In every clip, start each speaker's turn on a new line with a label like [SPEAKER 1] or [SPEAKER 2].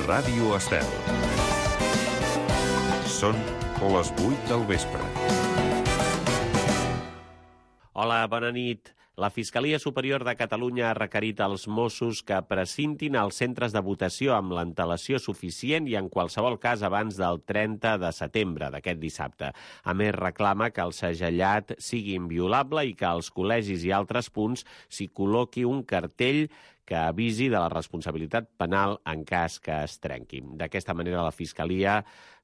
[SPEAKER 1] Ràdio Estel. Són les 8 del vespre.
[SPEAKER 2] Hola, bona nit. La Fiscalia Superior de Catalunya ha requerit als Mossos que precintin els centres de votació amb l'antelació suficient i en qualsevol cas abans del 30 de setembre d'aquest dissabte. A més, reclama que el segellat sigui inviolable i que als col·legis i altres punts s'hi col·loqui un cartell que avisi de la responsabilitat penal en cas que es trenqui. D'aquesta manera, la Fiscalia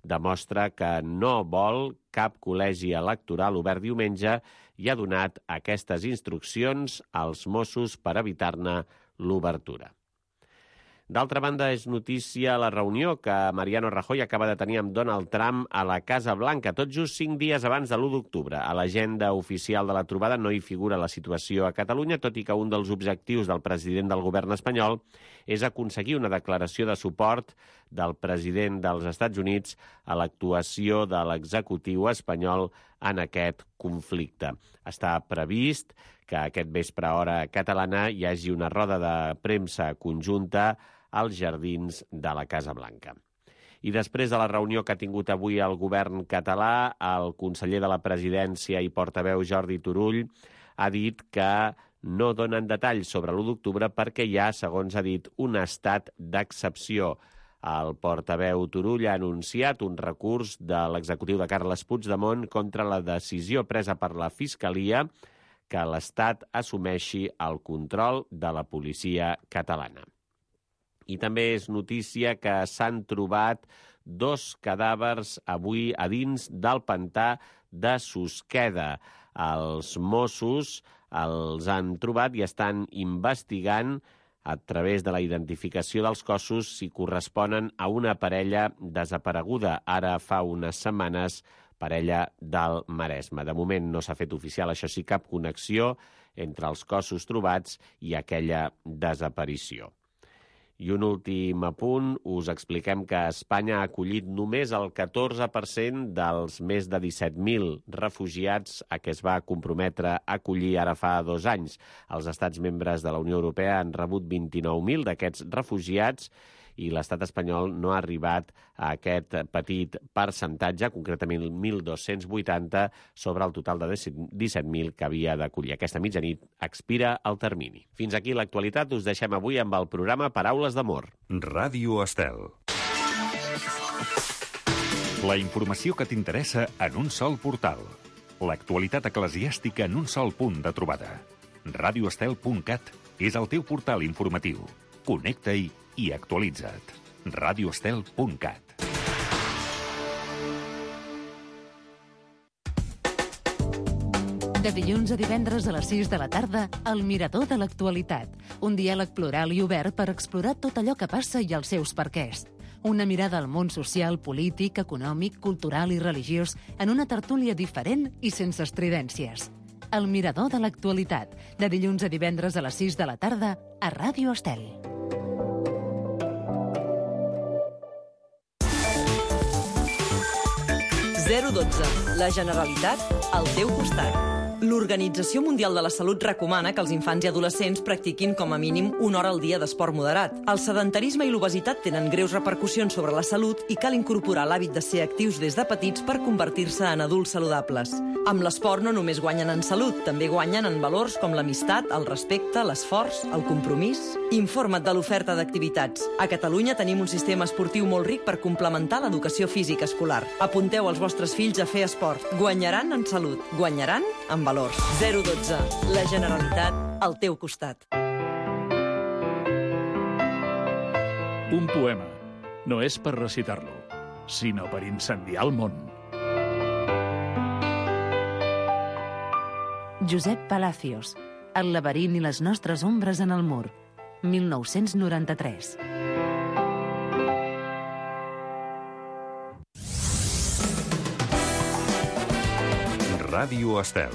[SPEAKER 2] demostra que no vol cap col·legi electoral obert diumenge i ha donat aquestes instruccions als Mossos per evitar-ne l'obertura. D'altra banda, és notícia la reunió que Mariano Rajoy acaba de tenir amb Donald Trump a la Casa Blanca, tot just 5 dies abans de l'1 d'octubre. A l'agenda oficial de la trobada no hi figura la situació a Catalunya, tot i que un dels objectius del president del govern espanyol és aconseguir una declaració de suport del president dels Estats Units a l'actuació de l'executiu espanyol en aquest conflicte. Està previst que aquest vespre a hora catalana hi hagi una roda de premsa conjunta als jardins de la Casa Blanca. I després de la reunió que ha tingut avui el govern català, el conseller de la Presidència i portaveu Jordi Turull ha dit que no donen detalls sobre l'1 d'octubre perquè hi ha, segons ha dit, un estat d'excepció. El portaveu Turull ha anunciat un recurs de l'executiu de Carles Puigdemont contra la decisió presa per la Fiscalia que l'Estat assumeixi el control de la policia catalana. I també és notícia que s'han trobat 2 cadàvers avui a dins del pantà de Susqueda. Els Mossos els han trobat i estan investigant a través de la identificació dels cossos si corresponen a una parella desapareguda ara fa unes setmanes, parella del Maresme. De moment no s'ha fet oficial, això sí, cap connexió entre els cossos trobats i aquella desaparició. I un últim apunt, us expliquem que Espanya ha acollit només el 14% dels més de 17.000 refugiats a què es va comprometre a acollir ara fa 2 anys. Els estats membres de la Unió Europea han rebut 29.000 d'aquests refugiats i l'estat espanyol no ha arribat a aquest petit percentatge, concretament 1.280 sobre el total de 17.000 que havia d'acollir. Aquesta mitjanit expira el termini. Fins aquí l'actualitat. Us deixem avui amb el programa Paraules d'Amor.
[SPEAKER 1] Ràdio Estel. La informació que t'interessa en un sol portal. L'actualitat eclesiàstica en un sol punt de trobada. radioestel.cat és el teu portal informatiu. Connecta-hi i actualitza't. radioestel.cat.
[SPEAKER 3] De dilluns a divendres a les 6 de la tarda, El Mirador de l'Actualitat. Un diàleg plural i obert per explorar tot allò que passa i els seus perquès. Una mirada al món social, polític, econòmic, cultural i religiós en una tertúlia diferent i sense estridències. El Mirador de l'Actualitat. De dilluns a divendres a les 6 de la tarda a Ràdio Estel.
[SPEAKER 4] La Generalitat al teu costat. L'Organització Mundial de la Salut recomana que els infants i adolescents practiquin com a mínim 1 hora al dia d'esport moderat. El sedentarisme i l'obesitat tenen greus repercussions sobre la salut i cal incorporar l'hàbit de ser actius des de petits per convertir-se en adults saludables. Amb l'esport no només guanyen en salut, també guanyen en valors com l'amistat, el respecte, l'esforç, el compromís. Informa't de l'oferta d'activitats. A Catalunya tenim un sistema esportiu molt ric per complementar l'educació física escolar. Apunteu els vostres fills a fer esport. Guanyaran en salut, guanyaran en valors. 012. La Generalitat al teu costat.
[SPEAKER 5] Un poema no és per recitar-lo, sinó per incendiar el món.
[SPEAKER 3] Josep Palacios. El laberint i les nostres ombres en el mur. 1993.
[SPEAKER 1] Ràdio Estel.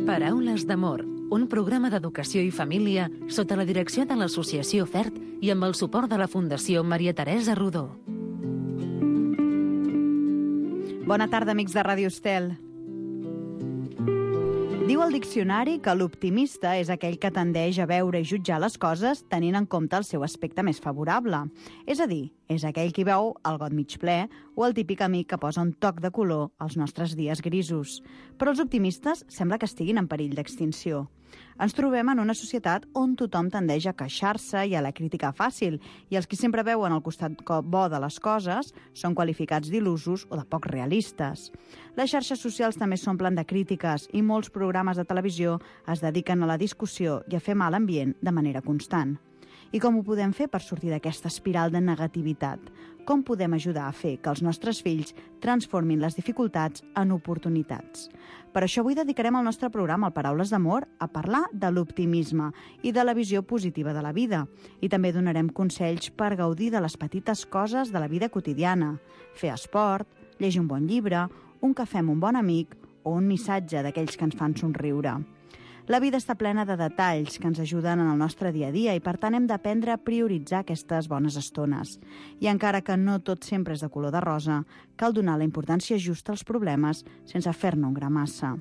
[SPEAKER 3] Paraules d'amor, un programa d'educació i família sota la direcció de l'Associació FERT i amb el suport de la Fundació Maria Teresa Rodó.
[SPEAKER 6] Bona tarda, amics de Ràdio Estel. Diu el diccionari que l'optimista és aquell que tendeix a veure i jutjar les coses tenint en compte el seu aspecte més favorable. És a dir, és aquell qui veu el got mig ple o el típic amic que posa un toc de color als nostres dies grisos. Però els optimistes sembla que estiguin en perill d'extinció. Ens trobem en una societat on tothom tendeix a queixar-se i a la crítica fàcil, i els qui sempre veuen el costat bo de les coses són qualificats d'il·lusos o de poc realistes. Les xarxes socials també s'omplen de crítiques i molts programes de televisió es dediquen a la discussió i a fer mal ambient de manera constant. I com ho podem fer per sortir d'aquesta espiral de negativitat? Com podem ajudar a fer que els nostres fills transformin les dificultats en oportunitats? Per això avui dedicarem el nostre programa al Paraules d'Amor a parlar de l'optimisme i de la visió positiva de la vida. I també donarem consells per gaudir de les petites coses de la vida quotidiana. Fer esport, llegir un bon llibre, un cafè amb un bon amic o un missatge d'aquells que ens fan somriure. La vida està plena de detalls que ens ajuden en el nostre dia a dia i, per tant, hem d'aprendre a prioritzar aquestes bones estones. I encara que no tot sempre és de color de rosa, cal donar la importància justa als problemes sense fer-ne un gra massa.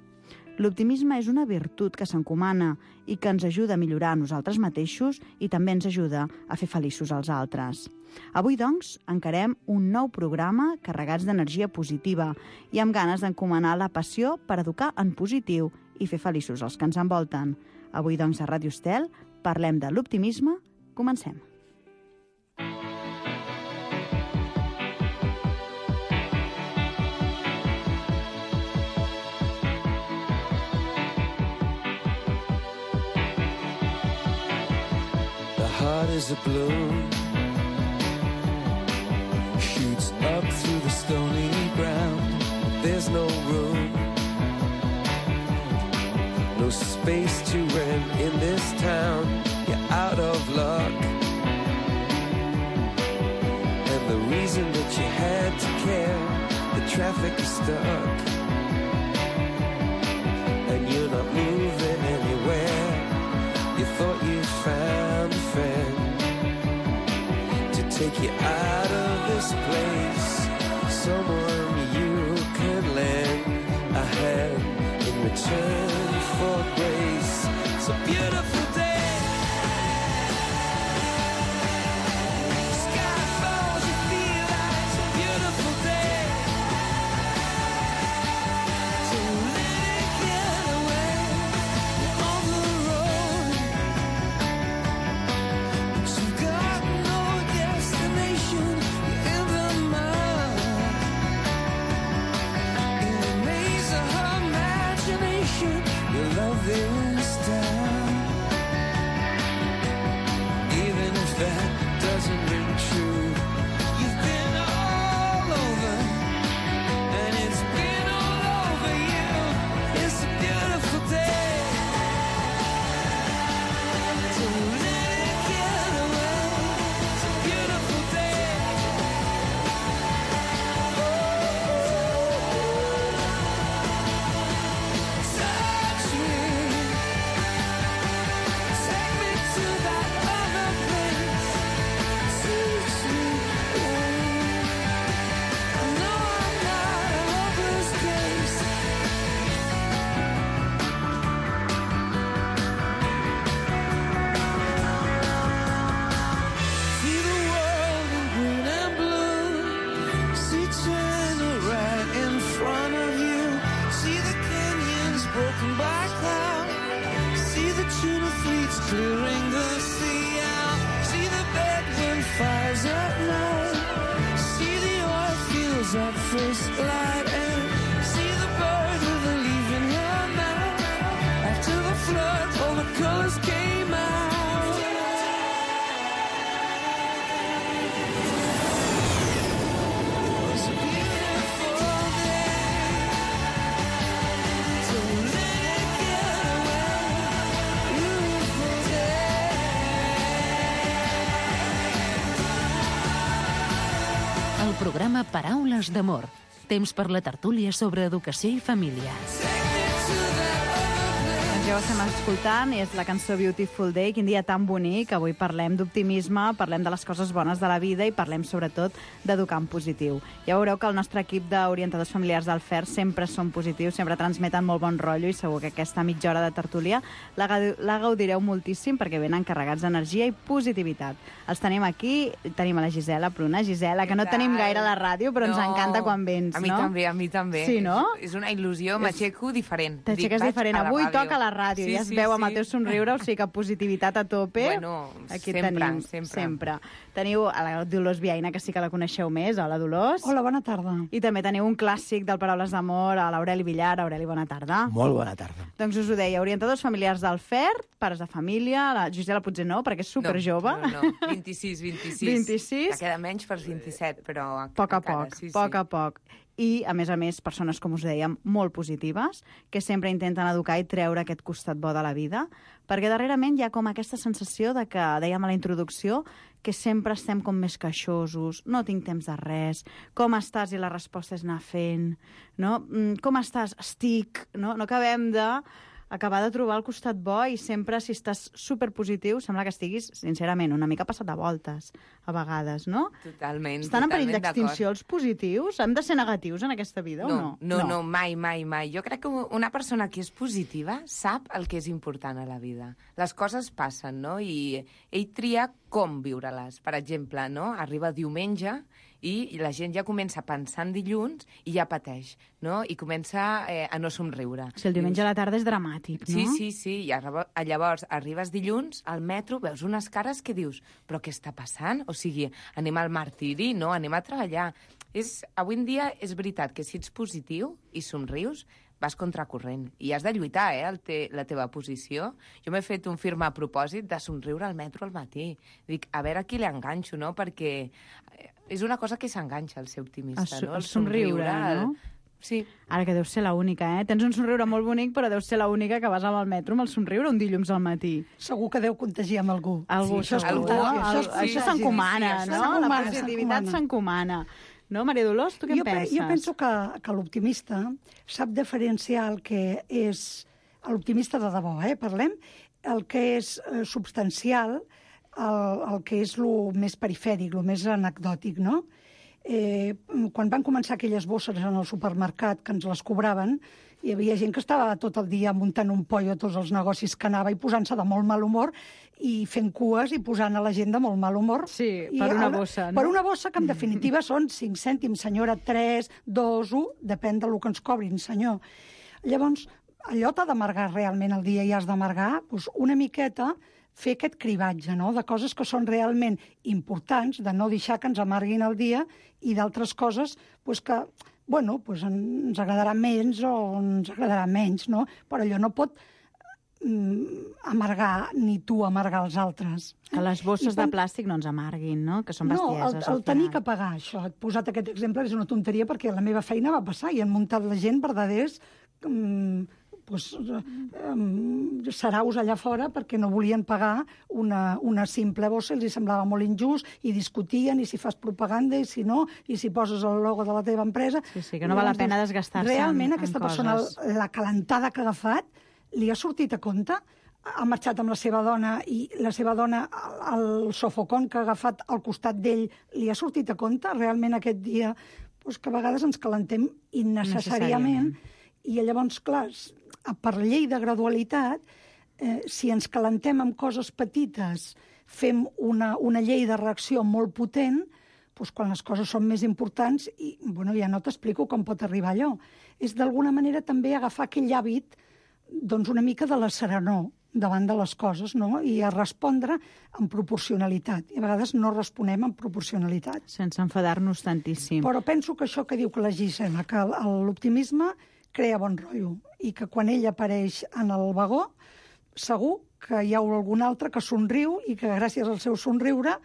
[SPEAKER 6] L'optimisme és una virtut que s'encomana i que ens ajuda a millorar a nosaltres mateixos i també ens ajuda a fer feliços als altres. Avui, doncs, encarem un nou programa carregats d'energia positiva i amb ganes d'encomanar la passió per educar en positiu i fer feliços els que ens envolten. Avui, doncs, a Ràdio Estel parlem de l'optimisme. Comencem.
[SPEAKER 7] The heart is a balloon, shoots up through the stony ground. There's no room, no space to rent in this town. You're out of luck, and the reason that you had to care, the traffic is stuck, and you're not moving anywhere. You thought you found a friend to take you out of this place, someone you could lend a hand in return for grace. It's a beautiful day. Sky falls, you feel like it's a beautiful day. So let it get away. You're on the road, but you got no destination. You're in the mud, in a maze of her imagination. Your love is down. Even if that doesn't ring true, you've been all over, and it's been all over you. It's a beautiful day. So let it get away. It's a beautiful day. Touch me, take me to that other place. Teach me, I know I'm not a hopeless case. See the world in green and blue. See China right in front of you. See the canyons broken by cloud. See the tuna fleets clearing the sea out. See the bedroom fires at night. See the oil fields at first light. And see the bird with a leaf in her mouth. After the flood, all the colors came out. It's a beautiful day. So let it get away. Beautiful day.
[SPEAKER 3] El programa Paraules d'Amor. Temps per la tertúlia sobre educació i família.
[SPEAKER 6] Ens hi esteu escoltant és la cançó Beautiful Day. Quin dia tan bonic. Avui parlem d'optimisme, parlem de les coses bones de la vida i parlem sobretot d'educar en positiu. Ja veureu que el nostre equip d'orientadors familiars del FER sempre són positius, sempre transmeten molt bon rotllo i segur que aquesta mitja hora de tertúlia la gaudireu moltíssim perquè venen carregats d'energia i positivitat. Els tenim aquí, tenim a la Gisela Pruna. Gisela, que no tenim gaire a la ràdio, però ens encanta quan vens, no?
[SPEAKER 8] A mi també.
[SPEAKER 6] Sí, no?
[SPEAKER 8] És una il·lusió, m'aixeco diferent.
[SPEAKER 6] T'aixeques diferent. Avui toca la ràdio, ja es veu amb el teu somriure, o sigui que positivitat a tope.
[SPEAKER 8] Bueno,
[SPEAKER 6] aquí
[SPEAKER 8] sempre.
[SPEAKER 6] Sempre. Teniu a la Dolors Viaina, que sí que la coneixeu més. Hola, Dolors.
[SPEAKER 9] Hola, bona tarda.
[SPEAKER 6] I també teniu un clàssic del Paraules d'Amor, a l'Aureli Villar. Aureli, bona tarda.
[SPEAKER 10] Molt bona tarda.
[SPEAKER 6] Doncs us ho deia, orientadors familiars del FER, pares de família, la Gisela potser no, perquè és superjove.
[SPEAKER 8] No. 26. Que queda menys per 27, però
[SPEAKER 6] a poc, poc a poc. I, a més, persones, com us dèiem, molt positives, que sempre intenten educar i treure aquest costat bo de la vida, perquè darrerament hi ha com aquesta sensació de que, dèiem a la introducció, que sempre estem com més queixosos, no tinc temps de res, com estàs i la resposta és anar fent, no? Com estàs? Estic, no? No acabem acabar de trobar el costat bo i sempre, si estàs superpositiu, sembla que estiguis, sincerament, una mica passat de voltes, a vegades, no?
[SPEAKER 8] Totalment.
[SPEAKER 6] Estan en perill d'extinció els positius? Hem de ser negatius en aquesta vida o no?
[SPEAKER 8] No, mai. Jo crec que una persona que és positiva sap el que és important a la vida. Les coses passen, no? I ell tria com viure-les. Per exemple, no? Arriba diumenge i la gent ja comença a pensar en dilluns i ja pateix, no? I comença a no somriure.
[SPEAKER 6] Si el diumenge a la tarda és dramàtic, no?
[SPEAKER 8] Sí. I llavors arribes dilluns al metro, veus unes cares que dius, però què està passant? O sigui, anem al martiri, no? Anem a treballar. Avui en dia és veritat que si ets positiu i somrius, vas contracorrent. I has de lluitar, la teva posició. Jo m'he fet un firma a propòsit de somriure al metro al matí. Dic, a veure a qui l'enganxo, no? Perquè és una cosa que s'enganxa, el ser optimista, no?
[SPEAKER 6] El somriure, no?
[SPEAKER 8] Sí.
[SPEAKER 6] Ara que deus ser l'única, Tens un somriure molt bonic, però deus ser l'única que vas amb el metro amb el somriure un dilluns al matí.
[SPEAKER 9] Segur que deu contagiar amb algú.
[SPEAKER 6] Això s'encomana, no? La positivitat s'encomana. No, Maria Dolors, tu què en penses?
[SPEAKER 9] Jo penso que l'optimista sap diferenciar el que és l'optimista de debò, parlem, el que és substancial, el que és el més perifèric, el més anecdòtic, no? Quan van començar aquelles bosses en el supermercat que ens les cobraven, hi havia gent que estava tot el dia muntant un pollo a tots els negocis que anava i posant-se de molt mal humor i fent cues i posant a la gent de molt mal humor.
[SPEAKER 6] Sí, per una bossa, no?
[SPEAKER 9] Per una bossa que en definitiva són 5 cèntims, senyora, 3, 2, 1, depèn del que ens cobrin, senyor. Llavors, allò t'ha d'amargar realment el dia i has d'amargar una miqueta fer aquest cribatge, no?, de coses que són realment importants, de no deixar que ens amarguin el dia i d'altres coses que, ens agradarà menys o ens agradarà menys, no? Però allò no pot amargar, ni tu amargar els altres.
[SPEAKER 6] Que les bosses de plàstic no ens amarguin, no? Que són bestieses.
[SPEAKER 9] No, el tenir que pagar, això. He posat aquest exemple, és una tonteria, perquè la meva feina va passar i han muntat la gent verdaders saraus allà fora perquè no volien pagar una simple bossa, els semblava molt injust i discutien, i si fas propaganda i si no, i si poses el logo de la teva empresa.
[SPEAKER 6] Sí, que no val la pena desgastar-se
[SPEAKER 9] realment aquesta persona, la calentada que ha agafat, li ha sortit a compte? Ha marxat amb la seva dona i la seva dona, el sofocón que ha agafat al costat d'ell, li ha sortit a compte realment aquest dia? Que a vegades ens calentem innecessàriament. I llavors, clar, per llei de gradualitat, si ens calentem amb coses petites, fem una llei de reacció molt potent, quan les coses són més importants, i ja no t'explico com pot arribar allò. És d'alguna manera també agafar aquell hàbit una mica de la serenor davant de les coses, no? I a respondre amb proporcionalitat. I a vegades no responem amb proporcionalitat.
[SPEAKER 6] Sense enfadar-nos tantíssim.
[SPEAKER 9] Però penso que això que diu que la Gisela, que l'optimisme crea bon rotllo, i que quan ell apareix en el vagó, segur que hi ha algun altre que somriu i que gràcies al seu somriure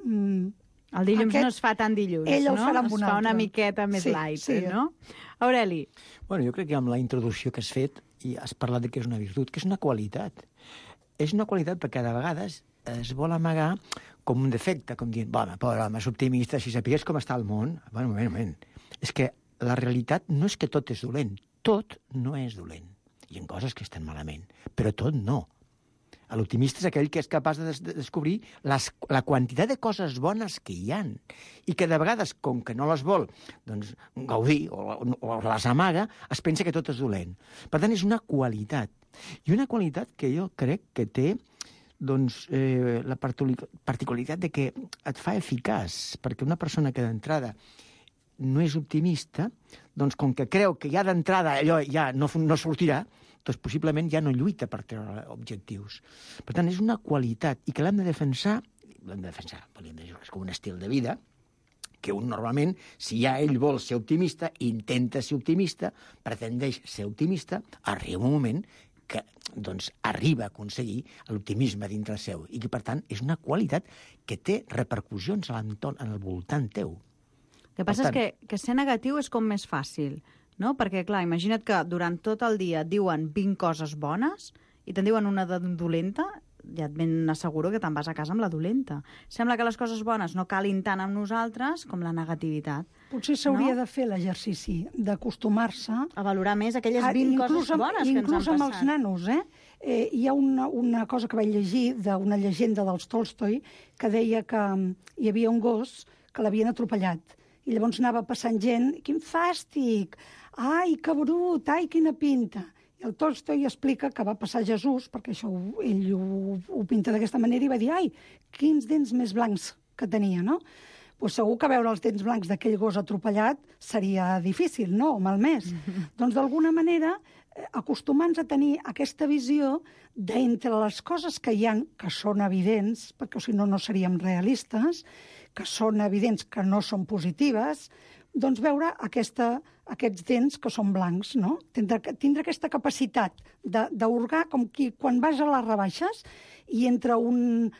[SPEAKER 6] el dilluns no es fa tan dilluns,
[SPEAKER 9] ell el farà amb
[SPEAKER 6] es fa una miqueta més light, no? Aureli.
[SPEAKER 10] Jo crec que amb la introducció que has fet i has parlat de que és una virtut, que és una qualitat. És una qualitat perquè de vegades es vol amagar com un defecte, com dient, pobre home, és optimista, si sapigués com està el món. Un moment. És que la realitat no és que tot és dolent. Tot no és dolent. hi ha coses que estan malament, però tot no. L'optimista és aquell que és capaç de descobrir la quantitat de coses bones que hi han i que de vegades, com que no les vol doncs, gaudir o les amaga, es pensa que tot és dolent. Per tant, és una qualitat. I una qualitat que jo crec que té doncs, la particularitat de que et fa eficaç, perquè una persona que d'entrada no és optimista, doncs com que creu que ja d'entrada allò ja no sortirà, doncs possiblement ja no lluita per treure objectius. Per tant, és una qualitat i que l'hem de defensar, volíem dir que és com un estil de vida, que un normalment, si ja ell vol ser optimista, intenta ser optimista, pretendeix ser optimista, arriba un moment que doncs, arriba a aconseguir l'optimisme dintre seu i que, per tant, és una qualitat que té repercussions a l'entorn, en el voltant teu.
[SPEAKER 6] El que passa és que ser negatiu és com més fàcil, no? Perquè, clar, imagina't que durant tot el dia et diuen 20 coses bones i te'n diuen una de dolenta, ja et ben asseguro que te'n vas a casa amb la dolenta. Sembla que les coses bones no calin tant amb nosaltres com la negativitat.
[SPEAKER 9] Potser s'hauria de fer l'exercici d'acostumar-se
[SPEAKER 6] a valorar més aquelles 20 coses bones que ens han passat.
[SPEAKER 9] Inclús amb els nanos, hi ha una cosa que vaig llegir d'una llegenda dels Tolstoi que deia que hi havia un gos que l'havien atropellat i llavors anava passant gent, quin fàstic, ai, que brut, ai, quina pinta. I el Tolstoi explica que va passar Jesús, perquè això ell ho pinta d'aquesta manera, i va dir, ai, quins dents més blancs que tenia, no? Pues segur que veure els dents blancs d'aquell gos atropellat seria difícil, no? O malmès. Doncs d'alguna manera, acostumant-nos a tenir aquesta visió d'entre les coses que hi ha, que són evidents, perquè si no, no seríem realistes, que són evidents que no són positives, doncs veure aquests dents que són blancs, no? Tindre aquesta capacitat d'hurgar com qui quan vas a les rebaixes i entre un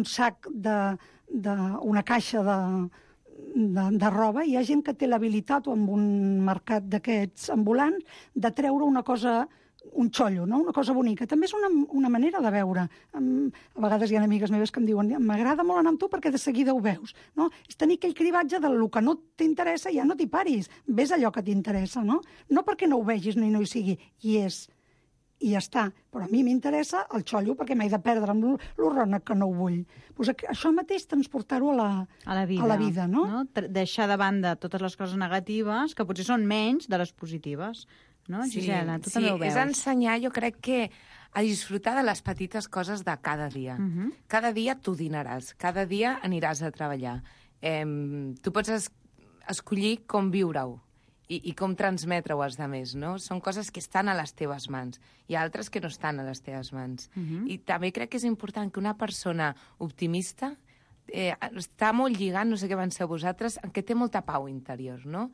[SPEAKER 9] sac una caixa de roba, hi ha gent que té l'habilitat o amb un mercat d'aquests ambulants de treure una cosa, un xollo, no? Una cosa bonica. També és una manera de veure. A vegades hi ha amigues meves que em diuen m'agrada molt anar amb tu perquè de seguida ho veus. No? És tenir aquell cribatge del que no t'interessa, ja no t'hi paris. Ves allò que t'interessa, no? No perquè no ho vegis ni no hi sigui. I és. I ja està. Però a mi m'interessa el xollo perquè m'he de perdre amb l'horrona que no ho vull. Pues això mateix transportar-ho a la vida, no?
[SPEAKER 6] Deixar de banda totes les coses negatives, que potser són menys de les positives. No, Gisela, tu també ho veus.
[SPEAKER 8] És ensenyar, jo crec que a disfrutar de les petites coses de cada dia. Cada dia tu dinaràs, cada dia aniràs a treballar. Tu pots escollir com viure-ho i com transmetre-ho als altres, no? Són coses que estan a les teves mans. Hi ha altres que no estan a les teves mans. I també crec que és important que una persona optimista està molt lligant, no sé què penseu vosaltres, que té molta pau interior, no?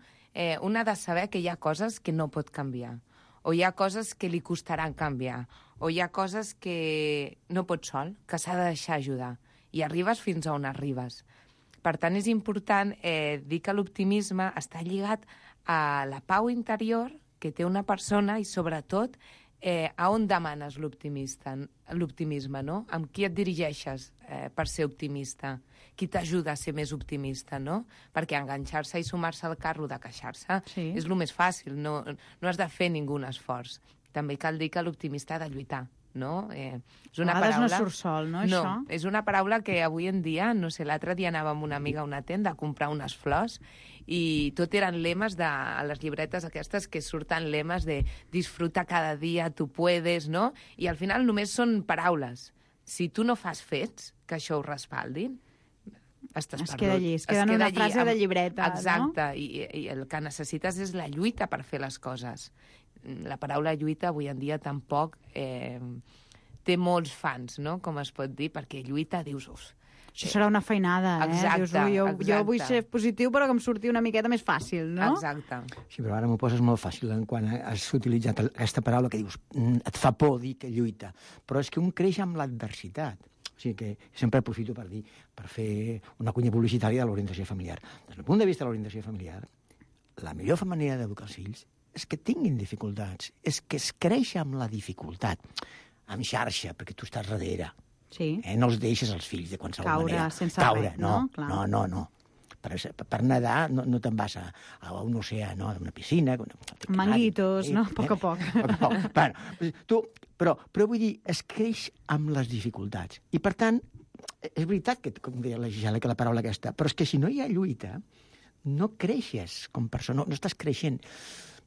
[SPEAKER 8] Un ha de saber que hi ha coses que no pot canviar, o hi ha coses que li costaran canviar, o hi ha coses que no pot sol, que s'ha de deixar ajudar, i arribes fins on arribes. Per tant, és important dir que l'optimisme està lligat a la pau interior que té una persona i, sobretot, a on demanes l'optimisme, no? Amb qui et dirigeixes per ser optimista? Qui t'ajuda a ser més optimista, no? Perquè enganxar-se i sumar-se al carro de queixar-se és el més fàcil, no has de fer ningú esforç. També cal dir que l'optimista ha de lluitar, no? És una paraula...
[SPEAKER 6] no surt sol, no, això?
[SPEAKER 8] No, és una paraula que avui en dia, no sé, l'altre dia anava amb una amiga a una tenda a comprar unes flors i tot eren lemes a les llibretes aquestes que surten lemes de disfruta cada dia, tu puedes, no? I al final només són paraules. Si tu no fas fets que això ho respaldin, estàs perdut.
[SPEAKER 6] Es queda en una frase de llibreta,
[SPEAKER 8] exacte, no? I el que necessites és la lluita per fer les coses. La paraula lluita avui en dia tampoc té molts fans, no? Com es pot dir, perquè lluita dius...
[SPEAKER 6] Això serà una feinada,
[SPEAKER 8] Exacte,
[SPEAKER 6] Dius, jo vull ser positiu però que em surti una miqueta més fàcil, no?
[SPEAKER 8] Exacte.
[SPEAKER 10] Sí, però ara m'ho poses molt fàcil quan has utilitzat aquesta paraula que dius et fa por dir que lluita. Però és que un creix amb l'adversitat. O sigui que sempre aprofito per fer una cunya publicitària de l'orientació familiar. Des del punt de vista de l'orientació familiar, la millor manera d'educar els fills és que tinguin dificultats, és que es creix amb la dificultat, amb xarxa, perquè tu estàs darrere.
[SPEAKER 6] Sí.
[SPEAKER 10] No els deixes als fills de qualsevol manera.
[SPEAKER 6] Caure sense res,
[SPEAKER 10] no?
[SPEAKER 6] Clar.
[SPEAKER 10] No. per nedar no te'n vas a un oceà, no? A una piscina...
[SPEAKER 6] Manguitos, no? A poc a poc.
[SPEAKER 10] Bueno, però vull dir, es creix amb les dificultats. I, per tant, és veritat que, com deia la Gisela, que la paraula aquesta, però és que si no hi ha lluita, no creixes com persona, no estàs creixent.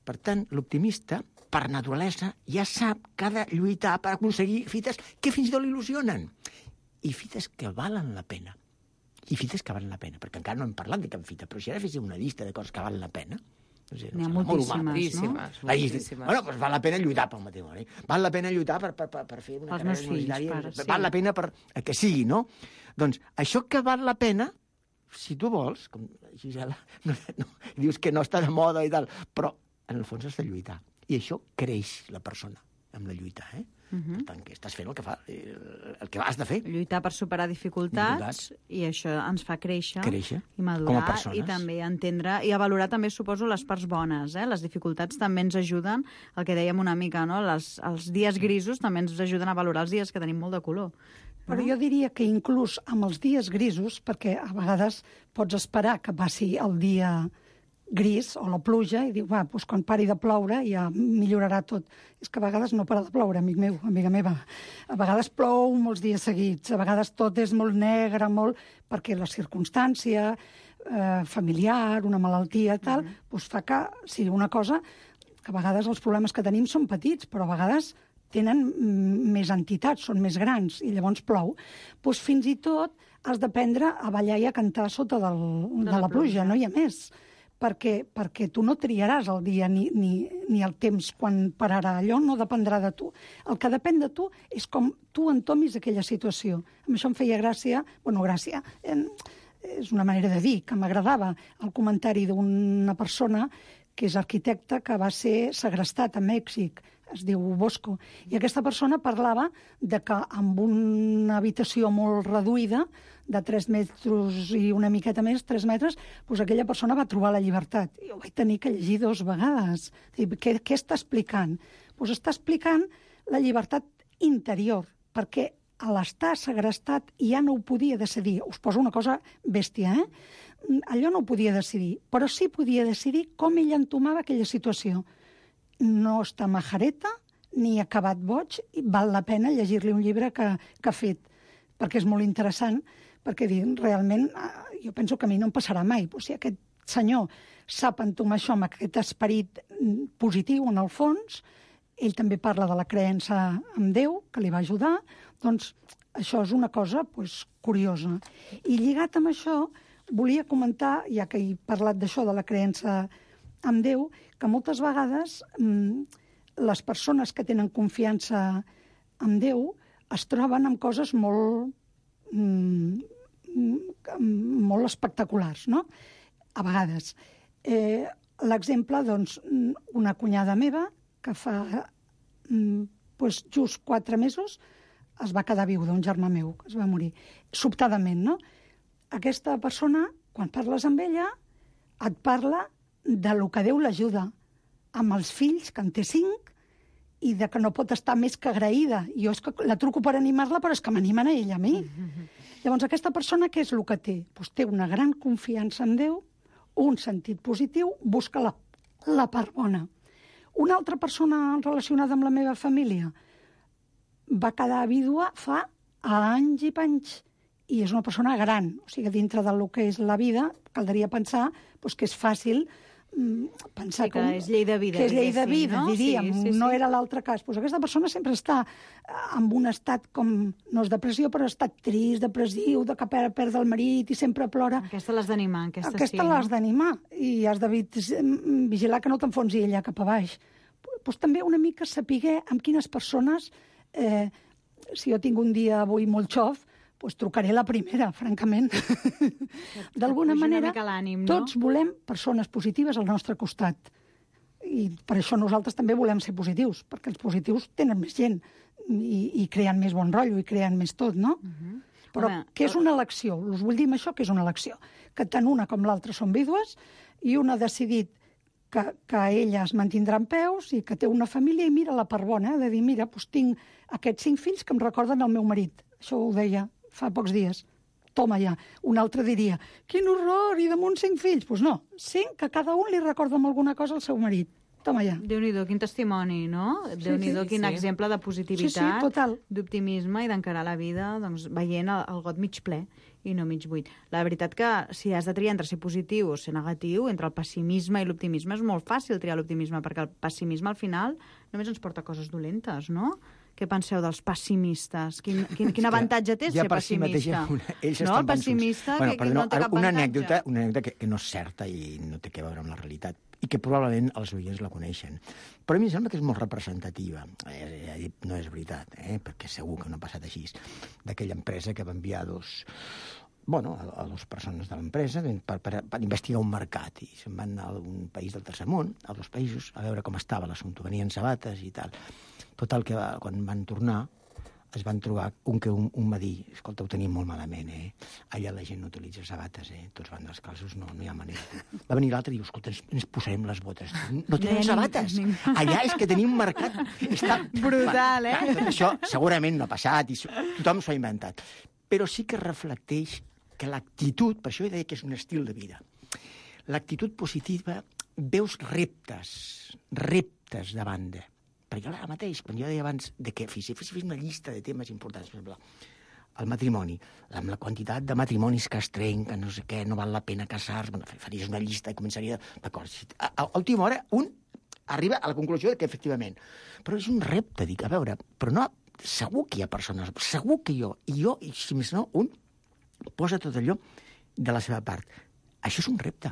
[SPEAKER 10] Per tant, l'optimista, per naturalesa, ja sap que ha de lluitar per aconseguir fites que fins i tot l'il·lusionen. I fites que valen la pena. Perquè encara no hem parlat de cap fita, però si ara féssim una llista de coses que valen la pena...
[SPEAKER 6] N'hi ha moltíssimes, no?
[SPEAKER 10] Bueno, doncs val la pena lluitar pel matrimoni. Val la pena lluitar per fer una carrera universitària. Val la pena per que sigui, no? Doncs això que val la pena, si tu vols, com Gisela, dius que no està de moda i tal, però en el fons has de lluitar. I això creix la persona amb la lluita, eh? Per tant, que estàs fent el que has de fer.
[SPEAKER 6] Lluitar per superar dificultats, i això ens fa créixer i madurar,
[SPEAKER 10] com a persones.
[SPEAKER 6] I també entendre i a valorar també, suposo, les parts bones. Les dificultats també ens ajuden, el que dèiem una mica, no? Els dies grisos també ens ajuden a valorar els dies que tenim molt de color.
[SPEAKER 9] Però jo diria que inclús amb els dies grisos, perquè a vegades pots esperar que passi el dia gris o la pluja i diu, doncs quan pari de ploure ja millorarà tot. És que a vegades no para de ploure, amic meu, amiga meva. A vegades plou molts dies seguits, a vegades tot és molt negre, perquè la circumstància familiar, una malaltia, tal, doncs fa que sigui una cosa que a vegades els problemes que tenim són petits, però a vegades tenen més entitats, són més grans, i llavors plou. Doncs fins i tot has d'aprendre a ballar i a cantar sota de la pluja, no hi ha més. Perquè tu no triaràs el dia ni el temps quan pararà. Allò no dependrà de tu. El que depèn de tu és com tu entomis aquella situació. Amb això em feia gràcia, és una manera de dir, que m'agradava el comentari d'una persona que és arquitecte, que va ser segrestat a Mèxic, es diu Bosco, i aquesta persona parlava de que amb una habitació molt reduïda, de 3 metres i una miqueta més, 3 metres, doncs aquella persona va trobar la llibertat. I ho vaig tenir que llegir 2 vegades. Què està explicant? Doncs està explicant la llibertat interior, perquè a l'estar segrestat ja no ho podia decidir. Us poso una cosa bèstia, Allò no ho podia decidir, però sí podia decidir com ell entomava aquella situació. No està majareta, ni acabat boig, i val la pena llegir-li un llibre que ha fet, perquè és molt interessant, perquè realment jo penso que a mi no em passarà mai. Si aquest senyor sap entomar això amb aquest esperit positiu en el fons, ell també parla de la creença en Déu, que li va ajudar, doncs això és una cosa curiosa. I lligat amb això, volia comentar, ja que he parlat d'això, de la creença en Déu, que moltes vegades les persones que tenen confiança en Déu es troben amb coses molt espectaculars, no? A vegades. L'exemple, doncs, una cunyada meva que fa just 4 mesos es va quedar viuda, un germà meu, que es va morir, sobtadament, no? Aquesta persona, quan parles amb ella, et parla de lo que Déu l'ajuda, amb els fills, que en té 5, i de que no pot estar més que agraïda. Jo és que la truco per animar-la, però és que m'animen a ella, a mi. Llavors, aquesta persona, què és el que té? Doncs té una gran confiança en Déu, un sentit positiu, busca la part bona. Una altra persona relacionada amb la meva família va quedar vídua fa anys i panys, i és una persona gran, o sigui, dintre del que és la vida, caldria pensar que és fàcil pensar
[SPEAKER 6] que és llei de vida.
[SPEAKER 9] Que és llei de vida,
[SPEAKER 6] no?
[SPEAKER 9] diríem. Sí. No era l'altre cas. Aquesta persona sempre està en un estat com, no és depressió, però estat trist, depressiu, de que perd el marit i sempre plora.
[SPEAKER 6] Aquesta l'has d'animar.
[SPEAKER 9] Aquesta l'has d'animar. I has de vigilar que no t'enfonsi ella cap a baix. Doncs també una mica saber amb quines persones, si jo tinc un dia avui molt xof, doncs trucaré la primera, francament. D'alguna manera, tots volem persones positives al nostre costat. I per això nosaltres també volem ser positius, perquè els positius tenen més gent i creen més bon rotllo i creen més tot, no? Però que és una elecció, us vull dir amb això que és una elecció, que tant una com l'altra són vídues i una ha decidit que ella es mantindrà en peus i que té una família i mira la part bona, de dir, mira, doncs tinc aquests 5 fills que em recorden el meu marit. Això ho deia fa pocs dies. toma ja. Un altre diria, quin horror, i damunt 5 fills. Doncs no, 5 que cada un li recorda amb alguna cosa al seu marit. Toma ja.
[SPEAKER 6] Déu-n'hi-do, quin testimoni, no? Déu-n'hi-do, quin exemple de positivitat, d'optimisme i d'encarar la vida doncs, veient el got mig ple i no mig buit. La veritat que si has de triar entre ser positiu o ser negatiu, entre el pessimisme i l'optimisme, és molt fàcil triar l'optimisme, perquè el pessimisme al final només ens porta coses dolentes, no? Què penseu dels pessimistes? Quin avantatge té ser pessimista? No, el pessimista que no té cap avantatge.
[SPEAKER 10] Una anècdota que no és certa i no té a veure amb la realitat, i que probablement els oients la coneixen. Però a mi em sembla que és molt representativa. No és veritat, perquè segur que no ha passat així. D'aquella empresa que va enviar a dues persones de l'empresa per investigar un mercat, i se'n van anar a un país del tercer món, a 2 països, a veure com estava l'assumpte. Venien sabates i tal. Total, que quan van tornar es van trobar un va dir, escolta, ho tenim molt malament, allà la gent no utilitza sabates, tots van descalços, no hi ha manera. Va venir l'altre i diu, escolta, ens posarem les botes. No tenen sabates. Allà és que tenim un mercat.
[SPEAKER 6] Brutal,
[SPEAKER 10] Tot això segurament no ha passat i tothom s'ho ha inventat. Però sí que reflecteix que l'actitud, per això he dit que és un estil de vida, l'actitud positiva, veus reptes davant de. Perquè ara mateix, quan jo deia abans que fes una llista de temes importants, per exemple, el matrimoni, amb la quantitat de matrimonis que es trenquen, no sé què, no val la pena casar-se, faries una llista i començaria... D'acord, a última hora un arriba a la conclusió que efectivament... Però és un repte, dic, a veure, però no... Segur que hi ha persones, segur que i si més no, un posa tot allò de la seva part. Això és un repte.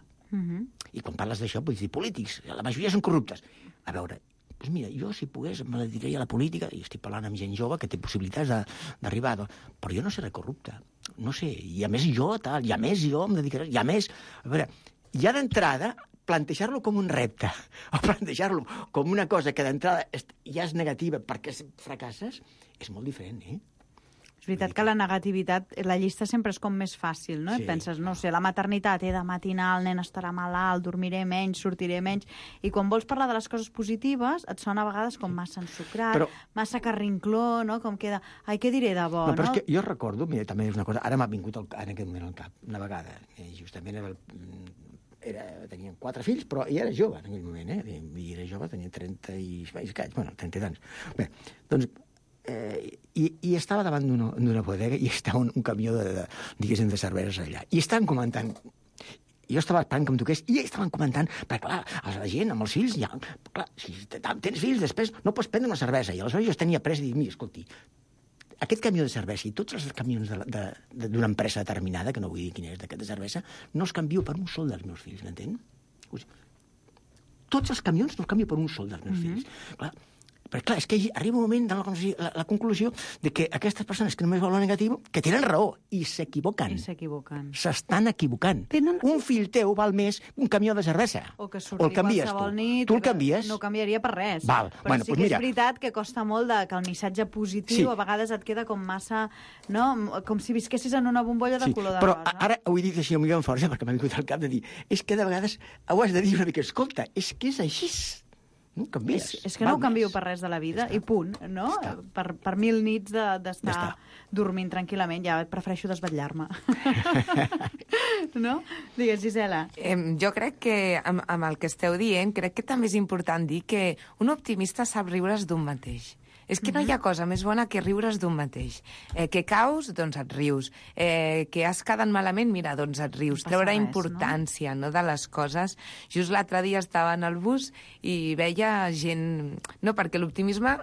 [SPEAKER 10] I quan parles d'això, pots dir polítics, la majoria són corruptes. A veure... Doncs mira, jo, si pogués, me dedicaria a la política, i estic parlant amb gent jove que té possibilitats d'arribar, però jo no seré corrupte, no sé, i a més jo em dedicaré, i a més... A veure, ja d'entrada, plantejar-lo com un repte, o plantejar-lo com una cosa que d'entrada ja és negativa perquè fracasses, és molt diferent,
[SPEAKER 6] És veritat que la negativitat, la llista sempre és com més fàcil, no? Sí. Penses, no sé, la maternitat, he de matinar, el nen estarà malalt, dormiré menys, sortiré menys... I quan vols parlar de les coses positives, et sona a vegades com massa ensucrat, massa carrincló, no? Com queda... Ai, què diré de bo, no?
[SPEAKER 10] Però és que jo recordo, mira, també és una cosa... Ara m'ha vingut en aquest moment al cap, una vegada, justament tenien 4 fills, però ella era jove en aquell moment, I era jove, tenia 30 i... 30 i tants. Bé, doncs... I estava davant d'una bodega i estava un camió de cerveses allà. I estaven comentant... Jo estava esperant que em toqués i estaven comentant, perquè clar, la gent amb els fills, clar, si tens fills després no pots prendre una cervesa. I aleshores jo tenia pressa i dic, mira, escolti, aquest camió de cervesa i tots els camions d'una empresa determinada, que no vull dir quina és d'aquesta cervesa, no els canvio per un sol dels meus fills, m'entén? Tots els camions no els canvio per un sol dels meus fills. Clar, però clar, és que arriba un moment de la conclusió de que aquestes persones que només volen negatiu, que tenen raó, i s'equivoquen. S'estan equivocant. Un fill teu val més un camió de cervesa.
[SPEAKER 6] O que surti qualsevol nit.
[SPEAKER 10] Tu el canvies?
[SPEAKER 6] No canviaria per res.
[SPEAKER 10] Val.
[SPEAKER 6] Però sí que és veritat que costa molt que el missatge positiu a vegades et queda com massa... No? Com si visquessis en una bombolla de color de rosa.
[SPEAKER 10] Però ara ho he dit així amb força, perquè m'ha vingut al cap de dir, és que de vegades ho has de dir una mica, escolta, és que és així. No canvies.
[SPEAKER 6] És que no ho canvio per res de la vida, i punt, no? Per 1000 nits d'estar dormint tranquil·lament, ja prefereixo desvetllar-me. No? Digues, Gisela.
[SPEAKER 8] Jo crec que, amb el que esteu dient, crec que també és important dir que un optimista sap riure's d'un mateix. És que no hi ha cosa més bona que riure's d'un mateix. Que caus, doncs et rius. Que has quedat malament, mira, doncs et rius. Treure importància, no, de les coses. Just l'altre dia estava en el bus i veia gent... No, perquè l'optimisme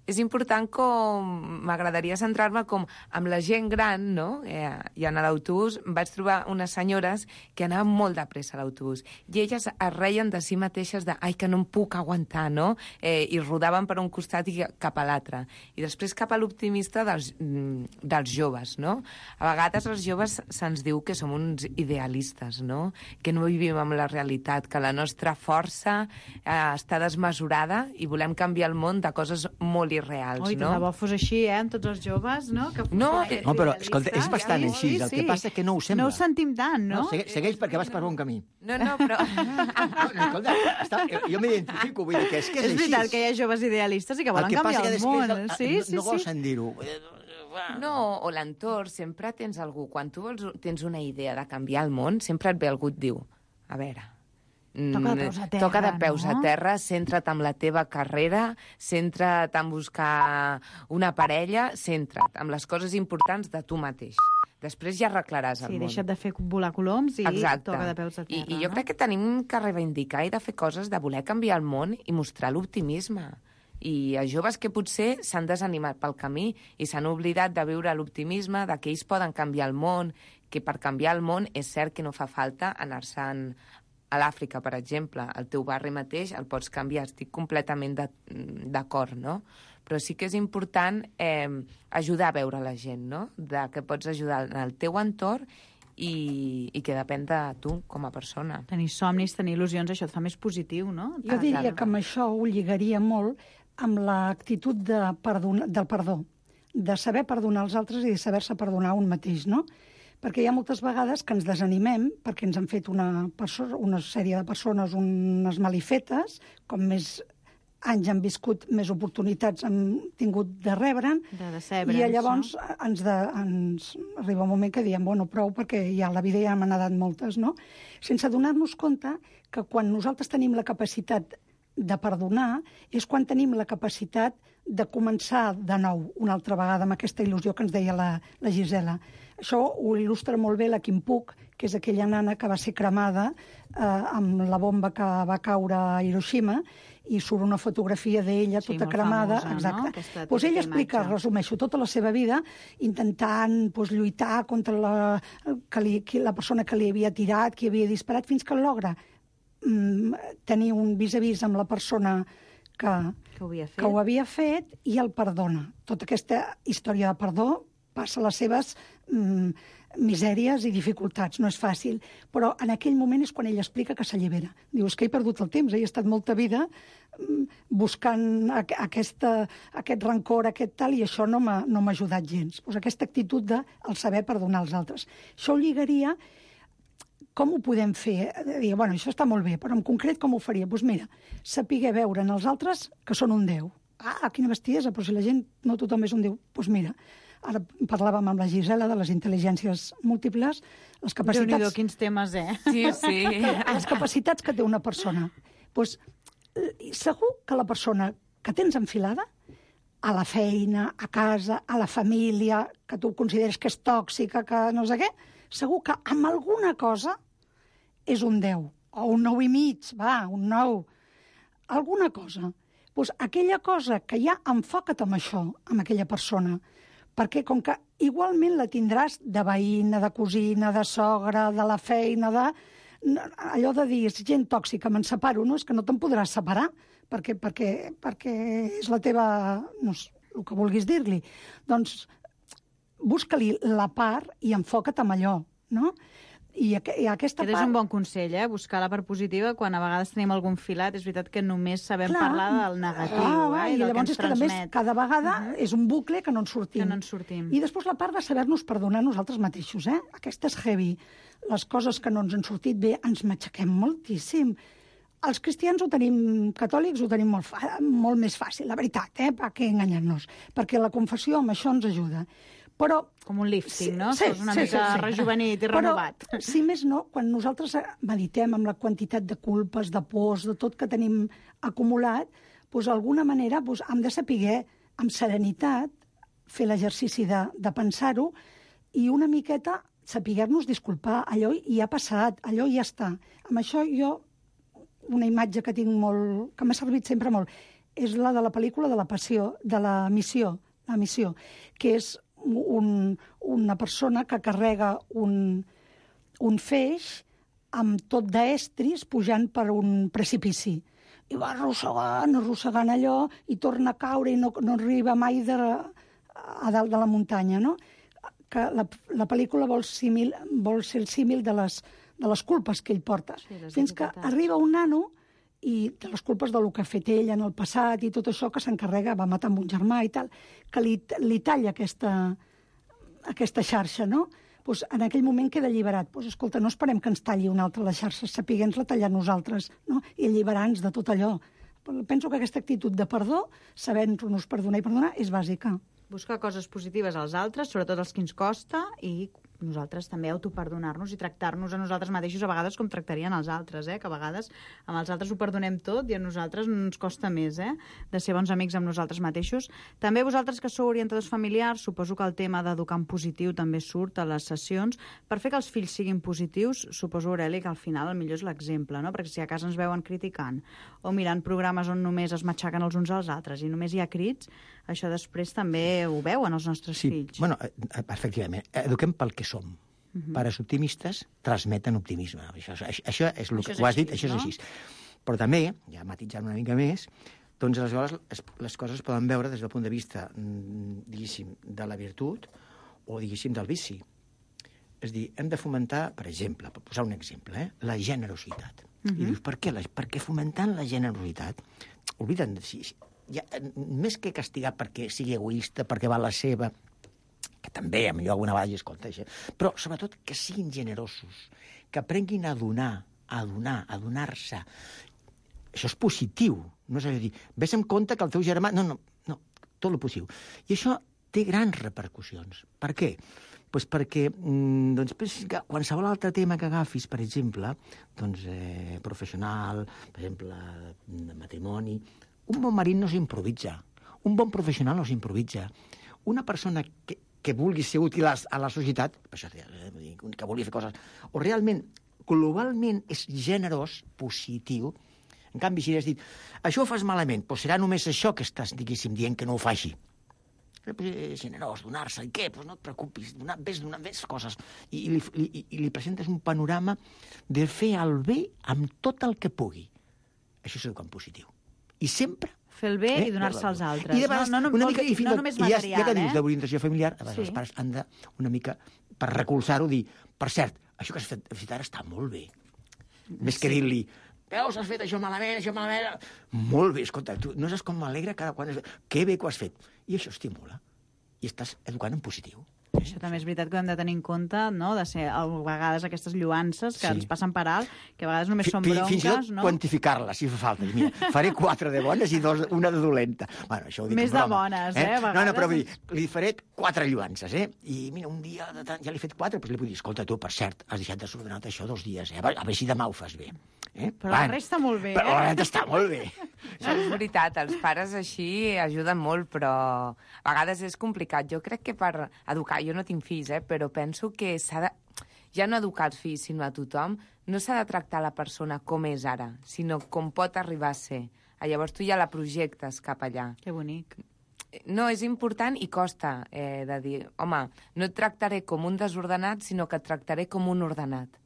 [SPEAKER 8] és important, com m'agradaria centrar-me com amb la gent gran, no? I en l'autobús vaig trobar unes senyores que anaven molt de pressa a l'autobús i elles es reien de si mateixes de ai, que no em puc aguantar, no? I rodaven per un costat i cap a l'altre. I després cap a l'optimista dels joves, no? A vegades els joves se'ns diu que som uns idealistes, no? Que no vivim amb la realitat, que la nostra força està desmesurada i volem canviar el món de coses molt irreals, no?
[SPEAKER 6] Ui, tant de bo fos així, amb tots els joves, no?
[SPEAKER 10] No, però, escolta, és bastant així. El que passa que no ho sembla.
[SPEAKER 6] No ho sentim tant, no?
[SPEAKER 10] Segueix perquè vas per bon camí.
[SPEAKER 8] No, però...
[SPEAKER 10] Escolta, jo m'identifico, vull dir que és així.
[SPEAKER 6] És veritat que hi ha joves idealistes i que volen canviar el món.
[SPEAKER 10] No vols dir-ho.
[SPEAKER 8] No, o l'entorn, sempre tens algú. Quan tu tens una idea de canviar el món, sempre et ve algú et diu, a veure,
[SPEAKER 6] toca de peus a terra,
[SPEAKER 8] centra't en la teva carrera, centra't en buscar una parella, centra't en les coses importants de tu mateix. Després ja arreglaràs el món.
[SPEAKER 6] Sí, deixa't de fer volar coloms i toca de peus a terra.
[SPEAKER 8] I jo crec que tenim que reivindicar i de fer coses de voler canviar el món i mostrar l'optimisme. I a joves que potser s'han desanimat pel camí i s'han oblidat de viure l'optimisme, de que ells poden canviar el món, que per canviar el món és cert que no fa falta anar-se'n a l'Àfrica, per exemple. El teu barri mateix el pots canviar, estic completament d'acord, no? Però sí que és important ajudar a veure la gent, no? Que pots ajudar en el teu entorn i que depèn de tu com a persona.
[SPEAKER 6] Tenir somnis, tenir il·lusions, això et fa més positiu, no?
[SPEAKER 9] Jo diria que amb això ho lligaria molt amb l'actitud del perdó, de saber perdonar els altres i de saber-se perdonar un mateix, no? Perquè hi ha moltes vegades que ens desanimem perquè ens han fet una sèrie de persones unes malifetes, com més anys han viscut, més oportunitats han tingut de rebre'n, i llavors ens arriba un moment que diem, bueno, prou, perquè ja la vida ja m'han anat moltes, no? Sense donar-nos compte que quan nosaltres tenim la capacitat de perdonar és quan tenim la capacitat de començar de nou una altra vegada amb aquesta il·lusió que ens deia la Gisela. Això ho il·lustra molt bé la Kim Puc, que és aquella nana que va ser cremada amb la bomba que va caure a Hiroshima, i surt una fotografia d'ella tota cremada.
[SPEAKER 6] Famosa,
[SPEAKER 9] exacte. No? Ella explica, resumeixo, tota la seva vida intentant lluitar contra la persona que li havia tirat, que havia disparat, fins que logra tenir un vis-a-vis amb la persona que ho havia fet i el perdona. Tota aquesta història de perdó passa les seves misèries i dificultats, no és fàcil, però en aquell moment és quan ell explica que s'allibera. Diu, és que he perdut el temps, he estat molta vida buscant aquest rancor, aquest tal, i això no m'ha ajudat gens. Pues aquesta actitud de saber perdonar els altres. Això ho lligaria. Com ho podem fer? Diu, bueno, això està molt bé, però en concret com ho faria? Doncs mira, saber veure en els altres que són un déu. Ah, quina bestiesa, però si la gent no tothom és un déu. Doncs mira, ara parlàvem amb la Gisela de les intel·ligències múltiples, les capacitats...
[SPEAKER 6] Déu-n'hi-do, quins temes,
[SPEAKER 8] Sí, sí.
[SPEAKER 9] Les capacitats que té una persona. Doncs segur que la persona que tens enfilada, a la feina, a casa, a la família, que tu consideres que és tòxica, que no sé què, segur que amb alguna cosa és un 10, o un 9,5, un 9, alguna cosa. Doncs aquella cosa que ja enfoca't amb això, amb aquella persona, perquè com que igualment la tindràs de veïna, de cosina, de sogra, de la feina, allò de dir, és gent tòxica, me'n separo, no? És que no te'n podràs separar, perquè és la teva... no sé, el que vulguis dir-li. Doncs busca-li la part i enfoca't amb allò, no? I aquesta part...
[SPEAKER 6] És un bon consell, buscar la part positiva quan a vegades tenim algun filat. És veritat que només sabem parlar del negatiu.
[SPEAKER 9] I llavors és que, a més, cada vegada és un bucle que no en sortim. I després la part de saber-nos perdonar nosaltres mateixos. Aquesta és heavy. Les coses que no ens han sortit bé ens matxaquem moltíssim. Els cristians catòlics ho tenim molt més fàcil, la veritat, per què enganyar-nos? Perquè la confessió amb això ens ajuda. Però...
[SPEAKER 6] Com un lifting, no? Sí, una mica rejuvenit i renovat.
[SPEAKER 9] Però, si més no, quan nosaltres meditem amb la quantitat de culpes, de pors, de tot que tenim acumulat, doncs d'alguna manera hem de saber, amb serenitat, fer l'exercici de pensar-ho i una miqueta saber-nos disculpar. Allò ja ha passat, allò ja està. Amb això jo, una imatge que tinc molt, que m'ha servit sempre molt, és la de la pel·lícula de la passió, de la missió, que és una persona que carrega un feix amb tot d'estris pujant per un precipici. I va arrossegant allò i torna a caure i no arriba mai a dalt de la muntanya, no? Que la pel·lícula vol ser el símil de les culpes que ell porta. Fins que arriba un nano i de les culpes del que ha fet ell en el passat i tot això que s'encarrega, va matar amb un germà i tal, que li talla aquesta xarxa, no? Pues en aquell moment queda alliberat. Pues, escolta, no esperem que ens talli una altra la xarxa, sapiguem-la tallar nosaltres, no? I alliberar-nos de tot allò. Penso que aquesta actitud de perdó, sabent-nos perdonar i perdonar, és bàsica.
[SPEAKER 6] Buscar coses positives als altres, sobretot els que ens costa, i nosaltres també autoperdonar-nos i tractar-nos a nosaltres mateixos a vegades com tractarien els altres, que a vegades amb els altres ho perdonem tot i a nosaltres ens costa més de ser bons amics amb nosaltres mateixos. També vosaltres que sou orientadors familiars, suposo que el tema d'educar en positiu també surt a les sessions. Per fer que els fills siguin positius, suposo, Aureli, que al final el millor és l'exemple, no? Perquè si a casa ens veuen criticant o mirant programes on només es matxaquen els uns als altres i només hi ha crits, això després també ho veuen els nostres fills.
[SPEAKER 10] Bueno, efectivament, eduquem pel que som. Pares optimistes transmeten optimisme. Això és el que ho has dit, això és així. Però també, ja matitzant una mica més, doncs aleshores les coses poden veure des del punt de vista, diguéssim, de la virtut o, diguéssim, del vici. És a dir, hem de fomentar, per exemple, per posar un exemple, la generositat. I dius, per què? Perquè fomentant la generositat, obliden, més que castigar perquè sigui egoista, perquè va a la seva, que també, millor alguna vegada escolta això, però sobretot que siguin generosos, que aprenguin a donar, a donar-se. Això és positiu, no és a dir, ves en compte que el teu germà... No, tot el positiu. I això té grans repercussions. Per què? Doncs perquè qualsevol altre tema que agafis, per exemple, professional, per exemple, de matrimoni, un bon marit no s'improvisa, un bon professional no s'improvisa. Una persona que vulgui ser útil a la societat, que vulgui fer coses, o realment, globalment, és generós, positiu. En canvi, si has dit, això ho fas malament, doncs serà només això que estàs, diguéssim, dient que no ho faci. Generós, donar-se, i què? Doncs no et preocupis, ves coses. I li presentes un panorama de fer el bé amb tot el que pugui. Això és educar en positiu. I sempre
[SPEAKER 6] fer el bé i donar-se als altres.
[SPEAKER 10] I de vegades,
[SPEAKER 6] no només material,
[SPEAKER 10] ja que dius d'orientació familiar, a vegades els pares han de, una mica, per recolzar-ho, dir, per cert, això que has fet ara està molt bé. Més que dir-li, veus, has fet això malament... Molt bé, escolta, tu no saps com m'alegra cada quan... Que bé que ho has fet. I això estimula. I estàs educant en positiu.
[SPEAKER 6] Això també és veritat que hem de tenir en compte, no?, de ser a vegades aquestes lluances que ens passen per alt, que a vegades només són bronques,
[SPEAKER 10] fins i tot quantificar-les, si fa falta. Mira, faré 4 de bones i una de dolenta. Bueno, això ho dic
[SPEAKER 6] més de bones, a vegades.
[SPEAKER 10] No, però vull dir, li faré 4 lluances, I mira, un dia ja li he fet 4, doncs li puc dir, escolta, tu, per cert, has deixat desordenat això 2 dies, A veure si demà ho fas bé.
[SPEAKER 6] Però la resta molt bé,
[SPEAKER 10] Però la resta està molt bé.
[SPEAKER 8] No, és veritat, els pares així ajuden molt, però a vegades és complicat. Jo crec que per educar, jo no tinc fills, però penso que s'ha de... Ja no educar els fills, sinó a tothom, no s'ha de tractar la persona com és ara, sinó com pot arribar a ser. Llavors tu ja la projectes cap allà.
[SPEAKER 6] Que bonic.
[SPEAKER 8] No, és important i costa de dir, home, no et tractaré com un desordenat, sinó que et tractaré com un ordenat.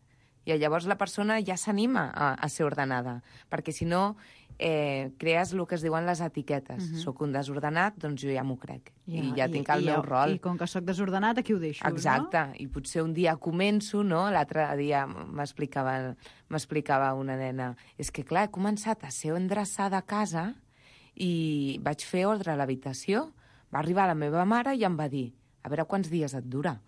[SPEAKER 8] I llavors la persona ja s'anima a ser ordenada, perquè si no crees el que es diuen les etiquetes. Soc un desordenat, doncs jo ja m'ho crec. I ja tinc el meu rol.
[SPEAKER 6] I com que soc desordenat, aquí ho deixo,
[SPEAKER 8] Exacte. No? I potser un dia començo, no? L'altre dia m'explicava una nena, és que clar, he començat a ser endreçada a casa i vaig fer ordre a l'habitació. Va arribar la meva mare i em va dir, a veure quants dies et dura.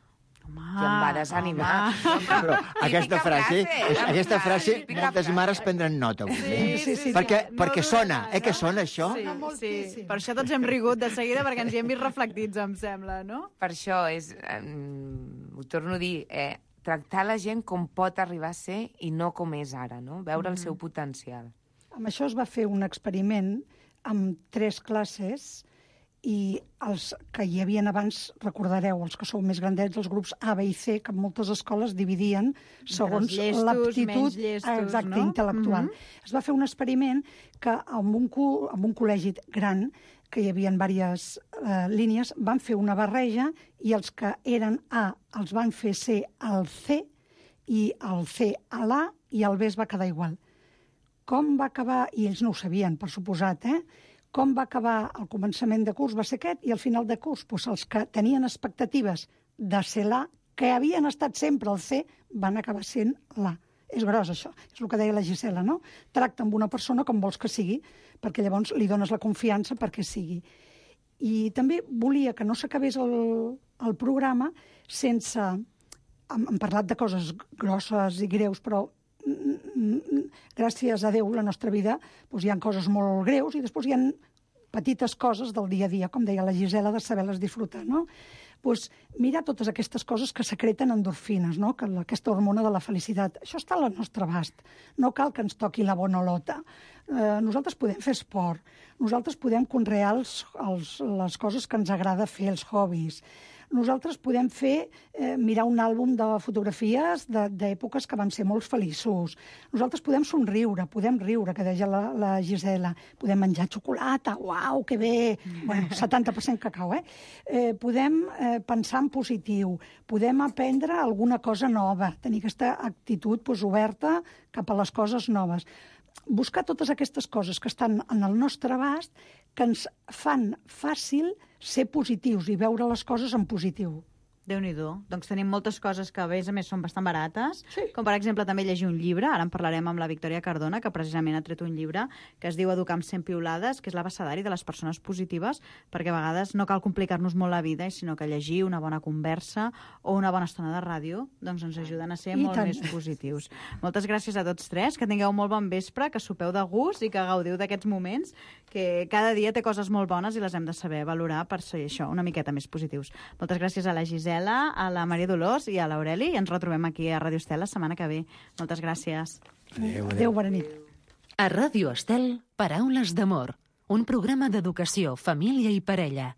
[SPEAKER 8] I em va desanimar.
[SPEAKER 10] Però aquesta frase moltes mares prendran nota.
[SPEAKER 6] Sí.
[SPEAKER 10] Perquè sona, que sona això?
[SPEAKER 6] Sí. Per això tots hem rigut de seguida, perquè ens hi hem vist reflectits, em sembla, no?
[SPEAKER 8] Per això és, ho torno a dir, tractar la gent com pot arribar a ser i no com és ara, no? Veure el seu potencial.
[SPEAKER 9] Amb això es va fer un experiment amb 3 classes i els que hi havia abans, recordareu, els que sou més grandets, els grups A, B i C, que moltes escoles dividien segons l'aptitud intel·lectual. Es va fer un experiment que amb un col·legi gran, que hi havia diverses línies, van fer una barreja i els que eren A els van fer C al C i el C a l'A i el B es va quedar igual. Com va acabar, i ells no ho sabien, per suposat, com va acabar el començament de curs va ser aquest, i al final de curs, doncs els que tenien expectatives de ser l'A, que havien estat sempre el C, van acabar sent l'A. És gros, això. És el que deia la Gisela, no? Tracta amb una persona com vols que sigui, perquè llavors li dones la confiança perquè sigui. I també volia que no s'acabés el programa sense... Hem parlat de coses grosses i greus, però gràcies a Déu, la nostra vida, doncs hi ha coses molt greus i després hi ha petites coses del dia a dia, com deia la Gisela, de saber-les disfrutar, no? Pues mirar totes aquestes coses que secreten endorfines, no? Que aquesta hormona de la felicitat. Això està al nostre abast. No cal que ens toqui la bonolota. Nosaltres podem fer esport, nosaltres podem conrear les coses que ens agrada fer, els hobbies. Nosaltres podem mirar un àlbum de fotografies d'èpoques que van ser molt feliços. Nosaltres podem somriure, podem riure, que deia la Gisela. Podem menjar xocolata, uau, que bé! Bueno, 70% cacau, podem pensar en positiu, podem aprendre alguna cosa nova, tenir aquesta actitud oberta cap a les coses noves. Buscar totes aquestes coses que estan en el nostre abast que ens fan fàcil ser positius i veure les coses en positiu.
[SPEAKER 6] Déu-n'hi-do. Doncs tenim moltes coses que, a més, són bastant barates, com per exemple també llegir un llibre. Ara en parlarem amb la Victòria Cardona, que precisament ha tret un llibre que es diu Educar amb 100 piulades, que és l'abecedari de les persones positives, perquè a vegades no cal complicar-nos molt la vida, sinó que llegir una bona conversa o una bona estona de ràdio doncs ens ajuden a ser molt més positius. Moltes gràcies a tots tres, que tingueu molt bon vespre, que sopeu de gust i que gaudiu d'aquests moments, que cada dia té coses molt bones i les hem de saber valorar per ser això, una miqueta més positius. Moltes gràcies a la Gisela, a la Maria Dolors i a l'Aureli, i ens retrobem aquí a Ràdio Estel la setmana que ve. Moltes gràcies.
[SPEAKER 9] Adéu, bona nit.
[SPEAKER 3] A Ràdio Estel, Paraules d'amor, un programa d'educació, família i parella.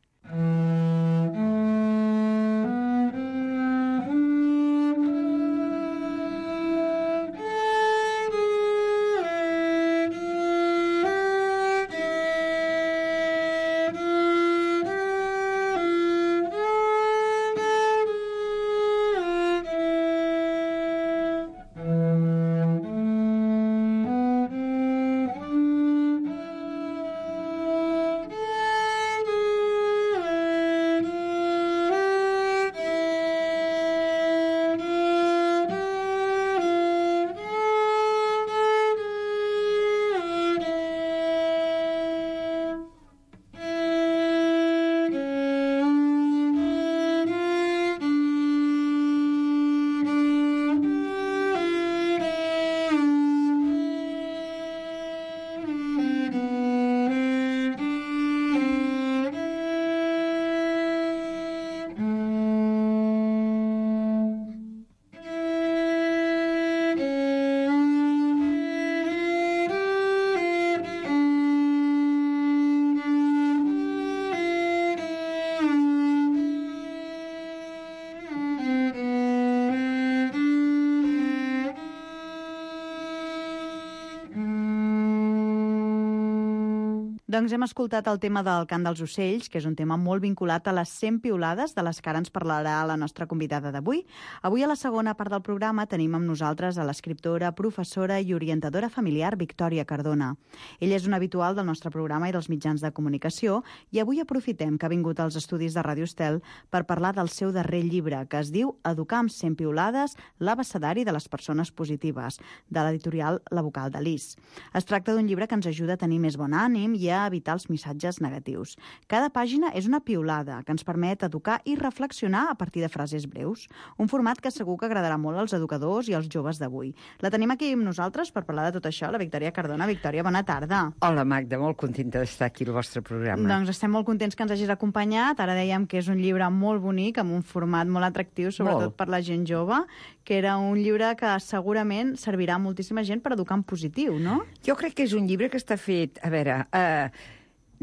[SPEAKER 6] Doncs hem escoltat el tema del cant dels ocells, que és un tema molt vinculat a les 100 piulades, de les que ara ens parlarà la nostra convidada d'avui. Avui, a la segona part del programa, tenim amb nosaltres a l'escriptora, professora i orientadora familiar Victòria Cardona. Ella és una habitual del nostre programa i dels mitjans de comunicació, i avui aprofitem que ha vingut als estudis de Ràdio Estel per parlar del seu darrer llibre, que es diu Educar amb 100 piulades, l'abecedari de les persones positives, de l'editorial La Vocal de Lis. Es tracta d'un llibre que ens ajuda a tenir més bon ànim i a evitar els missatges negatius. Cada pàgina és una piulada que ens permet educar i reflexionar a partir de frases breus. Un format que segur que agradarà molt als educadors i als joves d'avui. La tenim aquí amb nosaltres per parlar de tot això, la Victòria Cardona. Victòria, bona tarda.
[SPEAKER 11] Hola, Magda, molt contenta d'estar aquí al vostre programa.
[SPEAKER 6] Doncs estem molt contents que ens hagis acompanyat. Ara dèiem que és un llibre molt bonic, amb un format molt atractiu, sobretot per la gent jove, que era un llibre que segurament servirà a moltíssima gent per educar en positiu, no?
[SPEAKER 11] Jo crec que és un llibre que està fet... A veure,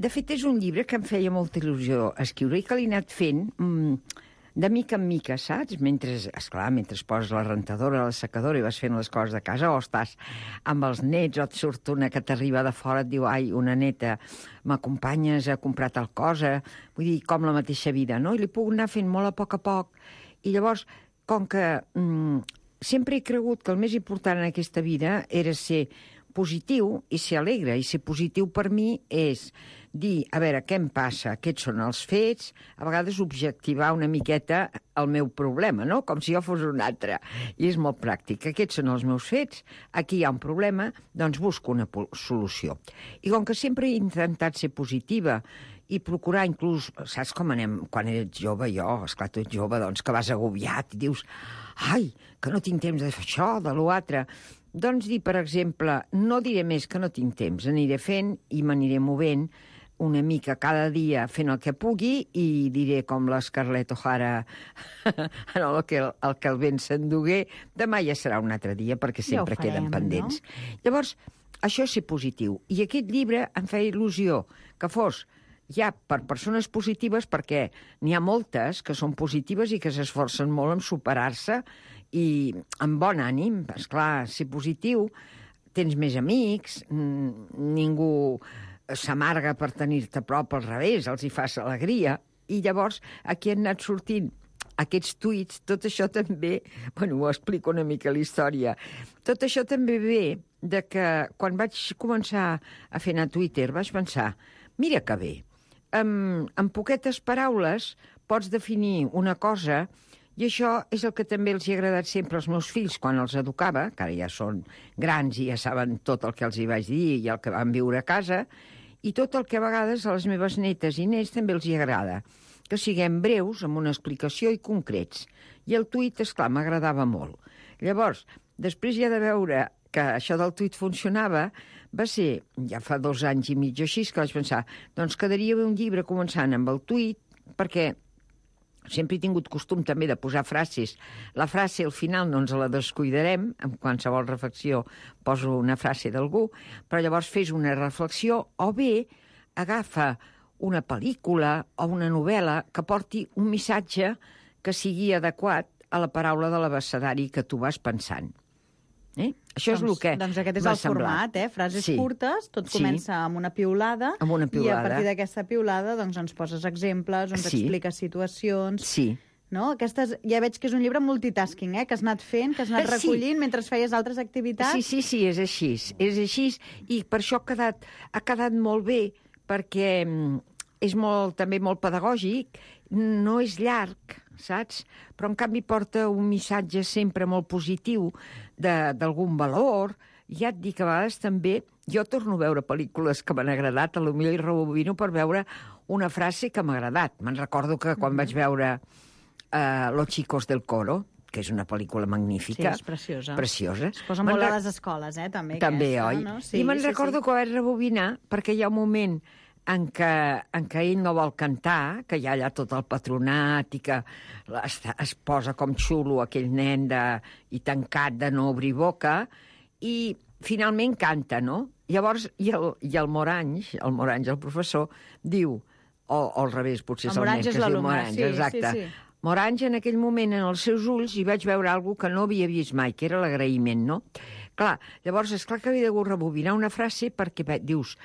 [SPEAKER 11] de fet, és un llibre que em feia molta il·lusió escriure i que l'he anat fent de mica en mica, saps? Mentre poses la rentadora, la secadora i vas fent les coses de casa, o estàs amb els nets, o et surt una que t'arriba de fora, et diu, ai, una neta, m'acompanyes a comprar tal cosa, vull dir, com la mateixa vida, no? I li puc anar fent molt a poc, i llavors, com que sempre he cregut que el més important en aquesta vida era ser positiu i ser alegre, i ser positiu per mi és dir, a veure, què em passa, aquests són els fets, a vegades objectivar una miqueta el meu problema, no? Com si jo fos un altre. I és molt pràctic. Aquests són els meus fets, aquí hi ha un problema, doncs busco una solució. I com que sempre he intentat ser positiva i procurar inclús, saps com anem quan eres jove, esclar, tu ets jove, doncs que vas agobiat i dius, ai, que no tinc temps de fer això, de l'altre. Doncs dir, per exemple, no diré més que no tinc temps, aniré fent i m'aniré movent, una mica cada dia fent el que pugui i diré com la Scarlett O'Hara en el que el vent s'endugué, demà ja serà un altre dia perquè sempre queden pendents. No? Llavors, això és ser positiu. I aquest llibre em feia il·lusió que fos ja per persones positives, perquè n'hi ha moltes que són positives i que s'esforcen molt en superar-se i amb bon ànim. Esclar, ser positiu, tens més amics, ningú s'amarga per tenir-te a prop, al revés, els hi fas alegria, i llavors aquí han anat sortint aquests tuits, tot això també, bueno, ho explico una mica la història, tot això també ve de que quan vaig començar a fer anar Twitter vaig pensar, mira que bé, en poquetes paraules pots definir una cosa i això és el que també els hi ha agradat sempre als meus fills quan els educava, que ara ja són grans i ja saben tot el que els hi vaig dir i el que van viure a casa, i tot el que a vegades a les meves netes i nets també els hi agrada, que siguem breus, amb una explicació i concrets. I el tuit, esclar, m'agradava molt. Llavors, després ja de veure que això del tuit funcionava, va ser, ja fa 2 anys i mig o així, que vaig pensar, doncs quedaria bé un llibre començant amb el tuit, perquè sempre he tingut costum també de posar frases. La frase al final no ens la descuidarem, en qualsevol reflexió poso una frase d'algú, però llavors fes una reflexió o bé agafa una pel·lícula o una novel·la que porti un missatge que sigui adequat a la paraula de l'abecedari que tu vas pensant. Això és el que
[SPEAKER 6] doncs aquest és el format, frases curtes, tot comença amb una piulada, i a partir d'aquesta piulada doncs, ens poses exemples, ens expliques situacions... No? Aquestes, ja veig que és un llibre multitasking, que has anat fent, que has anat recollint mentre feies altres activitats.
[SPEAKER 11] Sí, és així. És així, i per això ha quedat molt bé, perquè és també molt pedagògic, no és llarg, saps? Però, en canvi, porta un missatge sempre molt positiu d'algun valor. Ja et dic, a vegades també, jo torno a veure pel·lícules que m'han agradat, potser hi rebobino per veure una frase que m'ha agradat. Me'n recordo que quan vaig veure Los chicos del coro, que és una pel·lícula magnífica.
[SPEAKER 6] Sí, és preciosa.
[SPEAKER 11] Preciosa.
[SPEAKER 6] Es posa molt a les escoles, també.
[SPEAKER 11] També, oi? No? Sí, I me'n recordo que vaig rebobinar, perquè hi ha un moment en què ell no vol cantar, que hi ha allà tot el patronat i que es posa com xulo aquell nen i tancat de no obrir boca, i finalment canta, no? Llavors, i el Morange, el professor, diu, o al revés, potser és el nen que es diu Morange, exacte. Sí. Morange, en aquell moment, en els seus ulls, hi vaig veure alguna que no havia vist mai, que era l'agraïment, no? Clar, llavors, esclar que havia de rebobinar una frase perquè dius,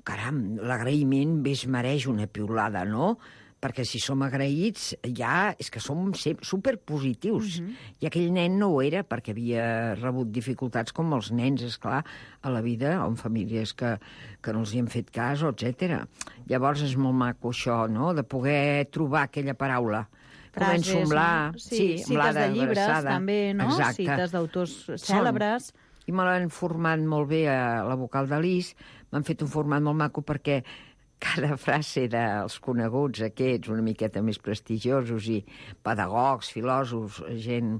[SPEAKER 11] caram, l'agraïment es mereix una piulada, no? Perquè si som agraïts, ja és que som superpositius. I aquell nen no ho era, perquè havia rebut dificultats com els nens, esclar, a la vida, o en famílies que no els hi han fet cas, etc. Llavors és molt maco això, no?, de poder trobar aquella paraula.
[SPEAKER 6] Frases,
[SPEAKER 11] començo amb la...
[SPEAKER 6] cites de llibres, també, no?
[SPEAKER 11] Exacte.
[SPEAKER 6] Cites d'autors cèlebres.
[SPEAKER 11] I me l'han format molt bé a la vocal de l'Is, m'han fet un format molt maco perquè cada frase dels coneguts aquests, una miqueta més prestigiosos i pedagogs, filòsofs, gent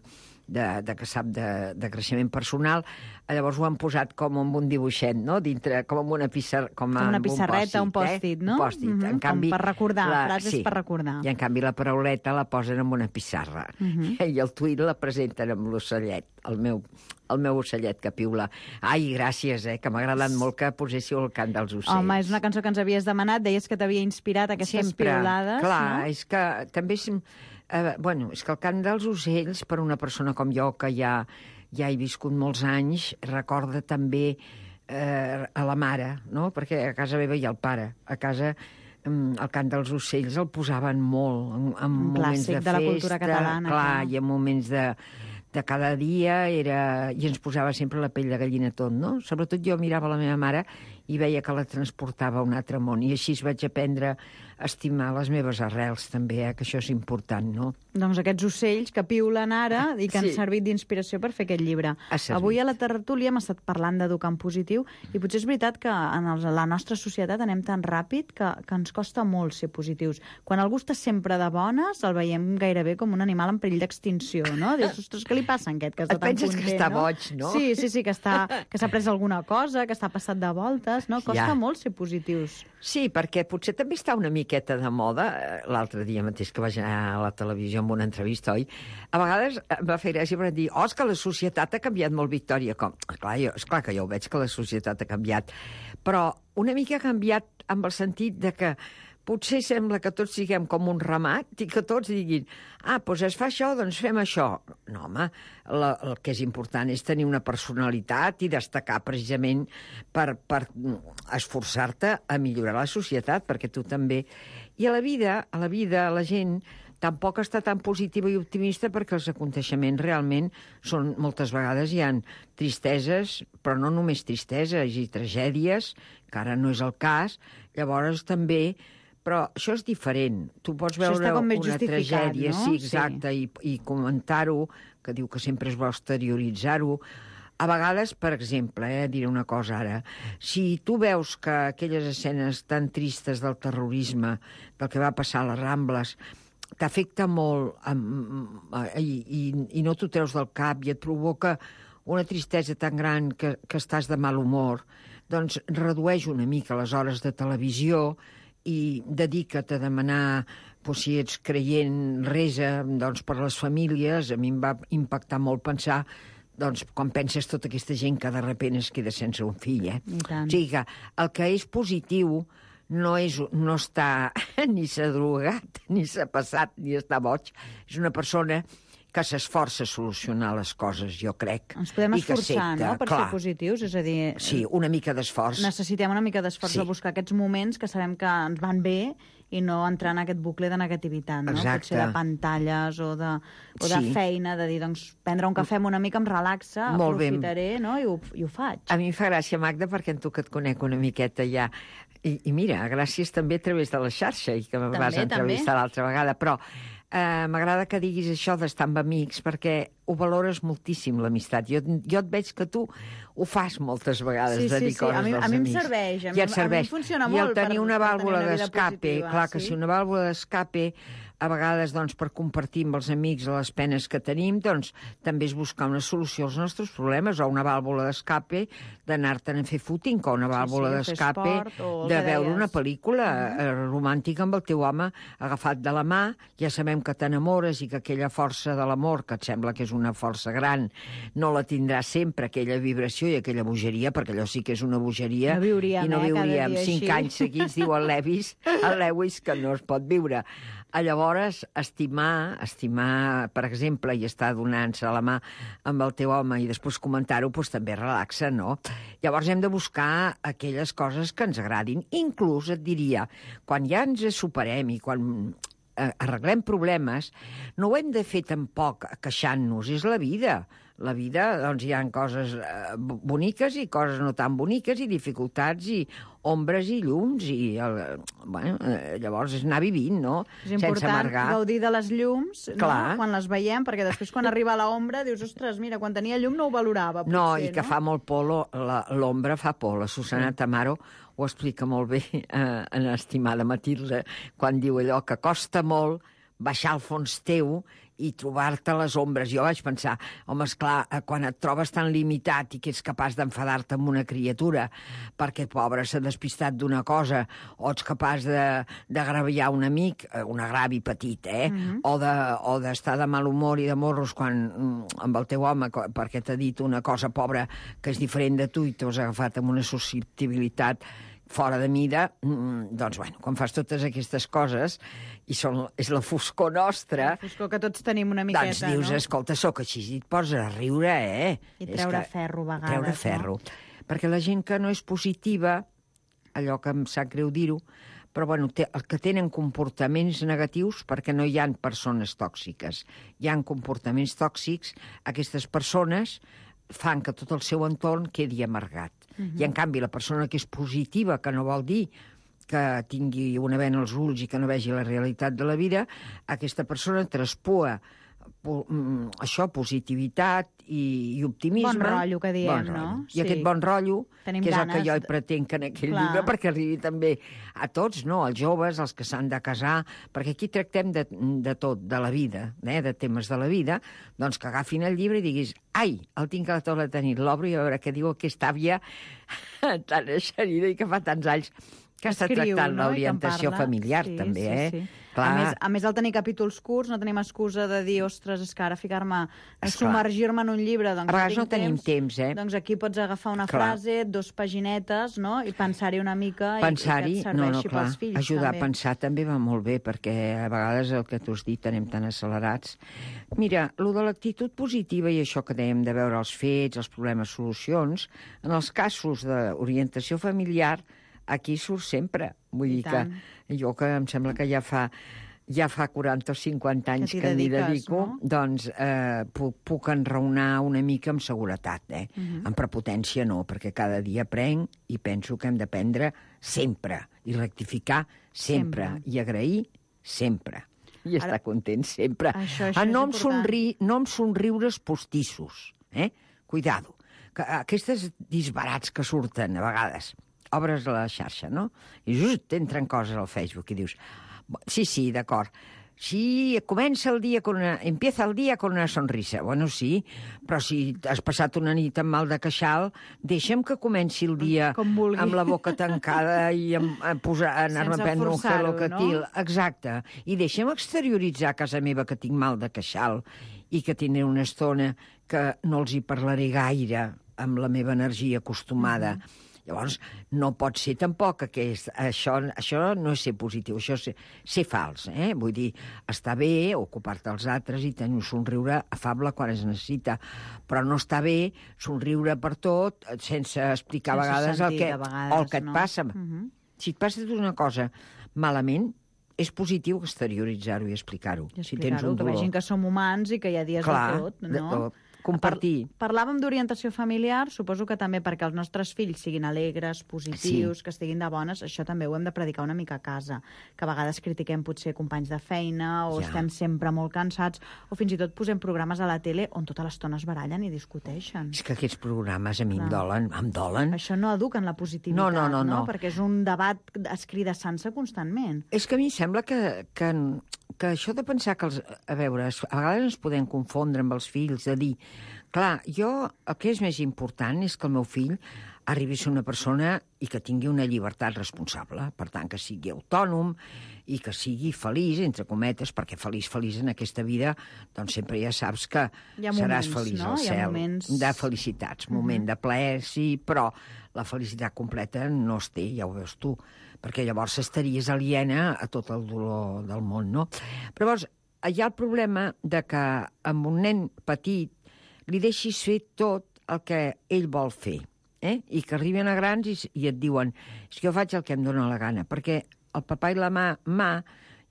[SPEAKER 11] que sap de creixement personal, llavors ho han posat com amb un dibuixet, no? Dintre, com amb una pissarreta, com una pissarreta,
[SPEAKER 6] un pòstit, no?
[SPEAKER 11] Un pòstit. En canvi,
[SPEAKER 6] com per recordar, frases per recordar.
[SPEAKER 11] I en canvi la parauleta la posen amb una pissarra. I el tuit la presenten amb l'ocellet, el meu ocellet que piula. Ai, gràcies, que m'ha agradat molt que poséssiu el cant dels ocells.
[SPEAKER 6] Home, és una cançó que ens havies demanat, deies que t'havia inspirat aquestes piulades.
[SPEAKER 11] Clar,
[SPEAKER 6] no?
[SPEAKER 11] És que també... és que el cant dels ocells, per una persona com jo, que ja he viscut molts anys, recorda també a la mare, no? Perquè a casa meva hi ha el pare. A casa el cant dels ocells el posaven molt, en moments de festa. Un clàssic de la cultura catalana. Clar, i en moments de cada dia i ens posava sempre la pell de gallina tot, no? Sobretot jo mirava la meva mare i veia que la transportava a un altre món, i així vaig aprendre a estimar les meves arrels, també, que això és important, no?
[SPEAKER 6] Doncs aquests ocells que piulen ara i que han servit d'inspiració per fer aquest llibre. Avui a la tertúlia hem estat parlant d'educar en positiu, i potser és veritat que en la nostra societat anem tan ràpid que ens costa molt ser positius. Quan algú està sempre de bones, el veiem gairebé com un animal en perill d'extinció, no? Dius, ostres, què li passa a aquest, que està tan content,
[SPEAKER 11] que està boig, no?
[SPEAKER 6] Sí, que s'ha pres alguna cosa, que està passat de voltes. vegades, no? Costa molt ser positius.
[SPEAKER 11] Sí, perquè potser també està una miqueta de moda. L'altre dia mateix que vaig anar a la televisió amb una entrevista, oi? A vegades em va fer gràcia per dir, és que la societat ha canviat molt, Victòria. Esclar que jo ho veig, que la societat ha canviat. Però una mica ha canviat amb el sentit de que potser sembla que tots siguem com un ramat i que tots diguin, doncs es fa això, doncs fem això. No, home, el que és important és tenir una personalitat i destacar precisament per esforçar-te a millorar la societat, perquè tu també... I a la vida, la gent tampoc està tan positiva i optimista perquè els aconteixements realment són, moltes vegades hi ha tristeses, però no només tristeses i tragèdies, que ara no és el cas, llavors també... Però això és diferent. Tu pots veure una tragèdia,
[SPEAKER 6] no?
[SPEAKER 11] Sí, exacte, i comentar-ho, que diu que sempre és bo exterioritzar-ho. A vegades, per exemple, diré una cosa ara, si tu veus que aquelles escenes tan tristes del terrorisme, del que va passar a les Rambles, t'afecta molt i no t'ho treus del cap i et provoca una tristesa tan gran que estàs de mal humor, doncs redueix una mica les hores de televisió i dedica't a demanar, si ets creient, resa per les famílies. A mi em va impactar molt pensar quan penses tota aquesta gent que de sobte es queda sense un fill. O sigui que el que és positiu no està ni s'ha drogat, ni s'ha passat, ni està boig. És una persona que s'esforça a solucionar les coses, jo crec.
[SPEAKER 6] Ens podem esforçar, no?, per ser positius, és a dir...
[SPEAKER 11] Sí, una mica d'esforç.
[SPEAKER 6] Necessitem una mica d'esforç a buscar aquests moments que sabem que ens van bé i no entrar en aquest bucle de negativitat, no?
[SPEAKER 11] Exacte.
[SPEAKER 6] Potser de pantalles o de feina, de dir, doncs, prendre un cafè amb una mica em relaxa, aprofitaré, no?, i ho faig.
[SPEAKER 11] A mi em fa gràcia, Magda, perquè en tu que et conec una miqueta ja. I mira, gràcies també a través de la xarxa, i que me vas entrevistar l'altra vegada, però m'agrada que diguis això d'estar amb amics, perquè ho valores moltíssim, l'amistat. Jo et veig que tu ho fas moltes vegades, de dir coses dels amics.
[SPEAKER 6] A mi em serveix, a mi em funciona molt.
[SPEAKER 11] I el tenir una vàlvula d'escape, clar que si una vàlvula d'escape a vegades, per compartir amb els amics les penes que tenim, doncs també és buscar una solució als nostres problemes, o una vàlvula d'escape d'anar-te'n a fer footing, o una vàlvula d'escape de veure una pel·lícula romàntica amb el teu home agafat de la mà. Ja sabem que t'enamores i que aquella força de l'amor, que et sembla que és una força gran, no la tindràs sempre, aquella vibració i aquella bogeria, perquè allò sí que és una bogeria.
[SPEAKER 6] No viuríem,
[SPEAKER 11] i no viuríem 5 anys seguits, diu el Lewis, que no es pot viure. Llavors, estimar, per exemple, i estar donant-se la mà amb el teu home i després comentar-ho, doncs també relaxa, no? Llavors hem de buscar aquelles coses que ens agradin. Inclús, et diria, quan ja ens superem i quan arreglem problemes, no ho hem de fer tampoc queixant-nos, és la vida. La vida, doncs, hi ha coses boniques i coses no tan boniques, i dificultats, i ombres i llums, i llavors és anar vivint, no?
[SPEAKER 6] És important gaudir de les llums, no? Quan les veiem, perquè després quan arriba l'ombra dius, ostres, mira, quan tenia llum no ho valorava, potser,
[SPEAKER 11] no? I que fa molt por, l'ombra fa por. La Susana Tamaro ho explica molt bé, en Estimada Matilde, quan diu allò que costa molt baixar al fons teu i trobar-te les ombres. Jo vaig pensar, home, esclar, quan et trobes tan limitat i que ets capaç d'enfadar-te amb una criatura perquè, pobre, s'ha despistat d'una cosa, o ets capaç d'agraviar un amic, un agravi petit, o d'estar de mal humor i de morros amb el teu home perquè t'ha dit una cosa, pobra, que és diferent de tu i t'has agafat amb una susceptibilitat fora de mida, doncs, quan fas totes aquestes coses, i és la foscor nostra...
[SPEAKER 6] La foscor que tots tenim una miqueta,
[SPEAKER 11] doncs dius, escolta, sóc així, i et poses a riure,
[SPEAKER 6] I treure ferro, a vegades.
[SPEAKER 11] Treure ferro. Perquè la gent que no és positiva, allò que em sap greu dir-ho, però, que tenen comportaments negatius, perquè no hi ha persones tòxiques. Hi ha comportaments tòxics, aquestes persones fan que tot el seu entorn quedi amargat. I, en canvi, la persona que és positiva, que no vol dir que tingui una bena als ulls i que no vegi la realitat de la vida, aquesta persona traspua positivitat i optimisme.
[SPEAKER 6] Bon rotllo, que diem, no?
[SPEAKER 11] I aquest bon rotllo, que és el que jo hi pretenc en aquell llibre, perquè arribi també a tots, no? Als joves, als que s'han de casar, perquè aquí tractem de tot, de la vida, de temes de la vida, doncs que agafin el llibre i diguis, Ai, el tinc a la taula de nit, l'obro i a veure què diu aquesta àvia tan eixerida i que fa tants anys que està tractant l'orientació familiar, també,
[SPEAKER 6] Sí. A més, al tenir capítols curts, no tenim excusa de dir, ostres, és que ara ficar-me, submergir-me en un llibre, doncs
[SPEAKER 11] a vegades no tenim temps,
[SPEAKER 6] Doncs aquí pots agafar una frase, 2 paginetes, no?, i pensar-hi una mica i que et serveixi pels fills.
[SPEAKER 11] Ajudar
[SPEAKER 6] també.
[SPEAKER 11] a pensar també va molt bé, perquè a vegades el que tu has dit anem tan accelerats. Mira, lo de l'actitud positiva i això que dèiem de veure els fets, els problemes, solucions, en els casos d'orientació familiar, aquí surt sempre. Vull dir que jo, que em sembla que ja fa 40 o 50 anys que m'hi dedico, no? Doncs puc enraonar una mica amb seguretat, Amb prepotència no, perquè cada dia aprenc i penso que hem d'aprendre sempre, i rectificar sempre, i agrair sempre, i estar content sempre. No amb somriures postissos, Cuidado. Aquestes disbarats que surten a vegades, obres la xarxa, no? I just entren coses al Facebook i dius, sí, d'acord, sí, empieza el dia con una sonrisa. Bueno, sí, però si has passat una nit amb mal de queixal, deixa'm que comenci el dia amb la boca tancada i anar-me a prendre un gelocatil. No? Exacte. I deixa'm exterioritzar a casa meva que tinc mal de queixal i que tindré una estona que no els hi parlaré gaire amb la meva energia acostumada. Llavors, no pot ser tampoc que això no és ser positiu, això és ser fals. Vull dir, està bé ocupar-te dels altres i tenir un somriure afable quan es necessita, però no està bé somriure per tot sense explicar a vegades el que et passa. Si et passa una cosa malament, és positiu exterioritzar-ho i explicar-ho. Si tens un dolor.
[SPEAKER 6] Que vegin que som humans i que hi ha dies de tot, no?
[SPEAKER 11] De tot. Compartir.
[SPEAKER 6] Parlàvem d'orientació familiar, suposo que també perquè els nostres fills siguin alegres, positius, que estiguin de bones, això també ho hem de predicar una mica a casa, que a vegades critiquem potser companys de feina o estem sempre molt cansats, o fins i tot posem programes a la tele on tota l'estona es barallen i discuteixen.
[SPEAKER 11] És que aquests programes a mi em dolen.
[SPEAKER 6] Això no eduquen la positivitat, no? Perquè és un debat escridassant-se constantment.
[SPEAKER 11] És que a mi em sembla que això de pensar que a vegades ens podem confondre amb els fills, de dir, clar, el que és més important és que el meu fill arribi a ser una persona i que tingui una llibertat responsable, per tant, que sigui autònom i que sigui feliç, entre cometes, perquè feliç en aquesta vida, doncs sempre ja saps que seràs feliç al cel. De felicitats, moment de plaer, sí, però la felicitat completa no es té, ja ho veus tu, perquè llavors estaries aliena a tot el dolor del món, no? Però llavors, hi ha el problema de que amb un nen petit li deixis fer tot el que ell vol fer, i que arriben a grans i et diuen és que jo faig el que em dóna la gana, perquè el papà i la mà,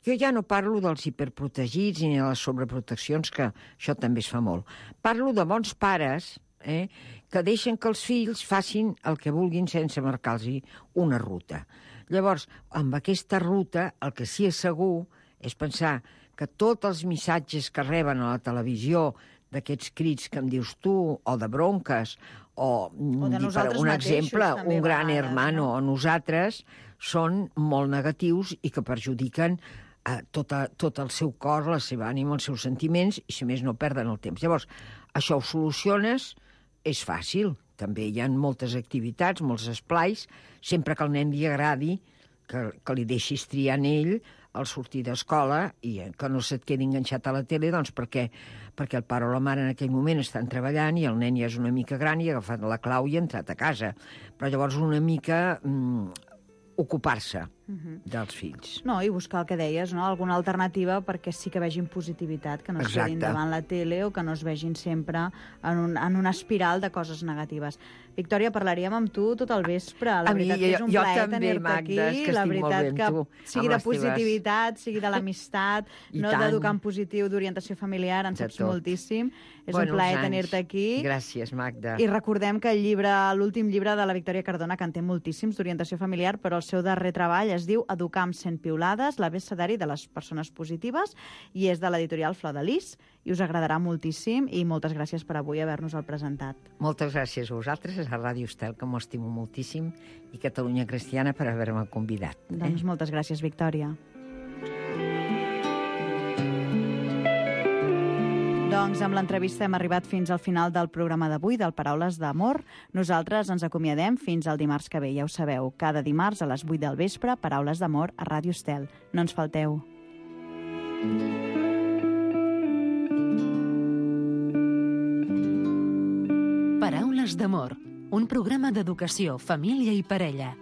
[SPEAKER 11] jo ja no parlo dels hiperprotegits ni de les sobreproteccions, que això també es fa molt. Parlo de bons pares, que deixen que els fills facin el que vulguin sense marcar-los una ruta. Llavors, amb aquesta ruta, el que sí és segur és pensar que tots els missatges que reben a la televisió d'aquests crits que em dius tu, o de bronques, o per un exemple, un gran hermano o nosaltres, són molt negatius i que perjudiquen tot el seu cor, la seva ànima, els seus sentiments, i si més no perden el temps. Llavors, això ho soluciones, és fàcil. També hi ha moltes activitats, molts esplais, sempre que al nen li agradi, que li deixis triar en ell al sortir d'escola i que no se't quedi enganxat a la tele, doncs perquè el pare o la mare en aquell moment estan treballant i el nen ja és una mica gran i ha agafat la clau i ha entrat a casa. Però llavors una mica ocupar-se dels fills.
[SPEAKER 6] No, i buscar el que deies, no? Alguna alternativa perquè sí que vegin positivitat, que no es quedin davant la tele o que no es vegin sempre en una espiral de coses negatives. Victòria, parlaríem amb tu tot el vespre. La veritat que és un plaer tenir-te aquí. La veritat que sigui de positivitat, sigui de l'amistat, no d'educar en positiu, d'orientació familiar, en saps moltíssim. És un plaer tenir-te aquí.
[SPEAKER 11] Gràcies, Magda.
[SPEAKER 6] I recordem que l'últim llibre de la Victòria Cardona, que en té moltíssims d'orientació familiar, però el seu darrer treball es diu Educar amb 100 piulades, l'abecedari de les persones positives, i és de l'editorial Flor de Lis, i us agradarà moltíssim, i moltes gràcies per avui haver-nos-el presentat.
[SPEAKER 11] Moltes gràcies a vosaltres, a Ràdio Estel, que m'ho estimo moltíssim, i Catalunya Cristiana per haver-me convidat.
[SPEAKER 6] Doncs moltes gràcies, Victòria. Doncs amb l'entrevista hem arribat fins al final del programa d'avui, del Paraules d'Amor. Nosaltres ens acomiadem fins al dimarts que ve, ja ho sabeu. Cada dimarts a les 8 del vespre, Paraules d'Amor a Ràdio Estel. No ens falteu.
[SPEAKER 3] Paraules d'Amor, un programa d'educació, família i parella.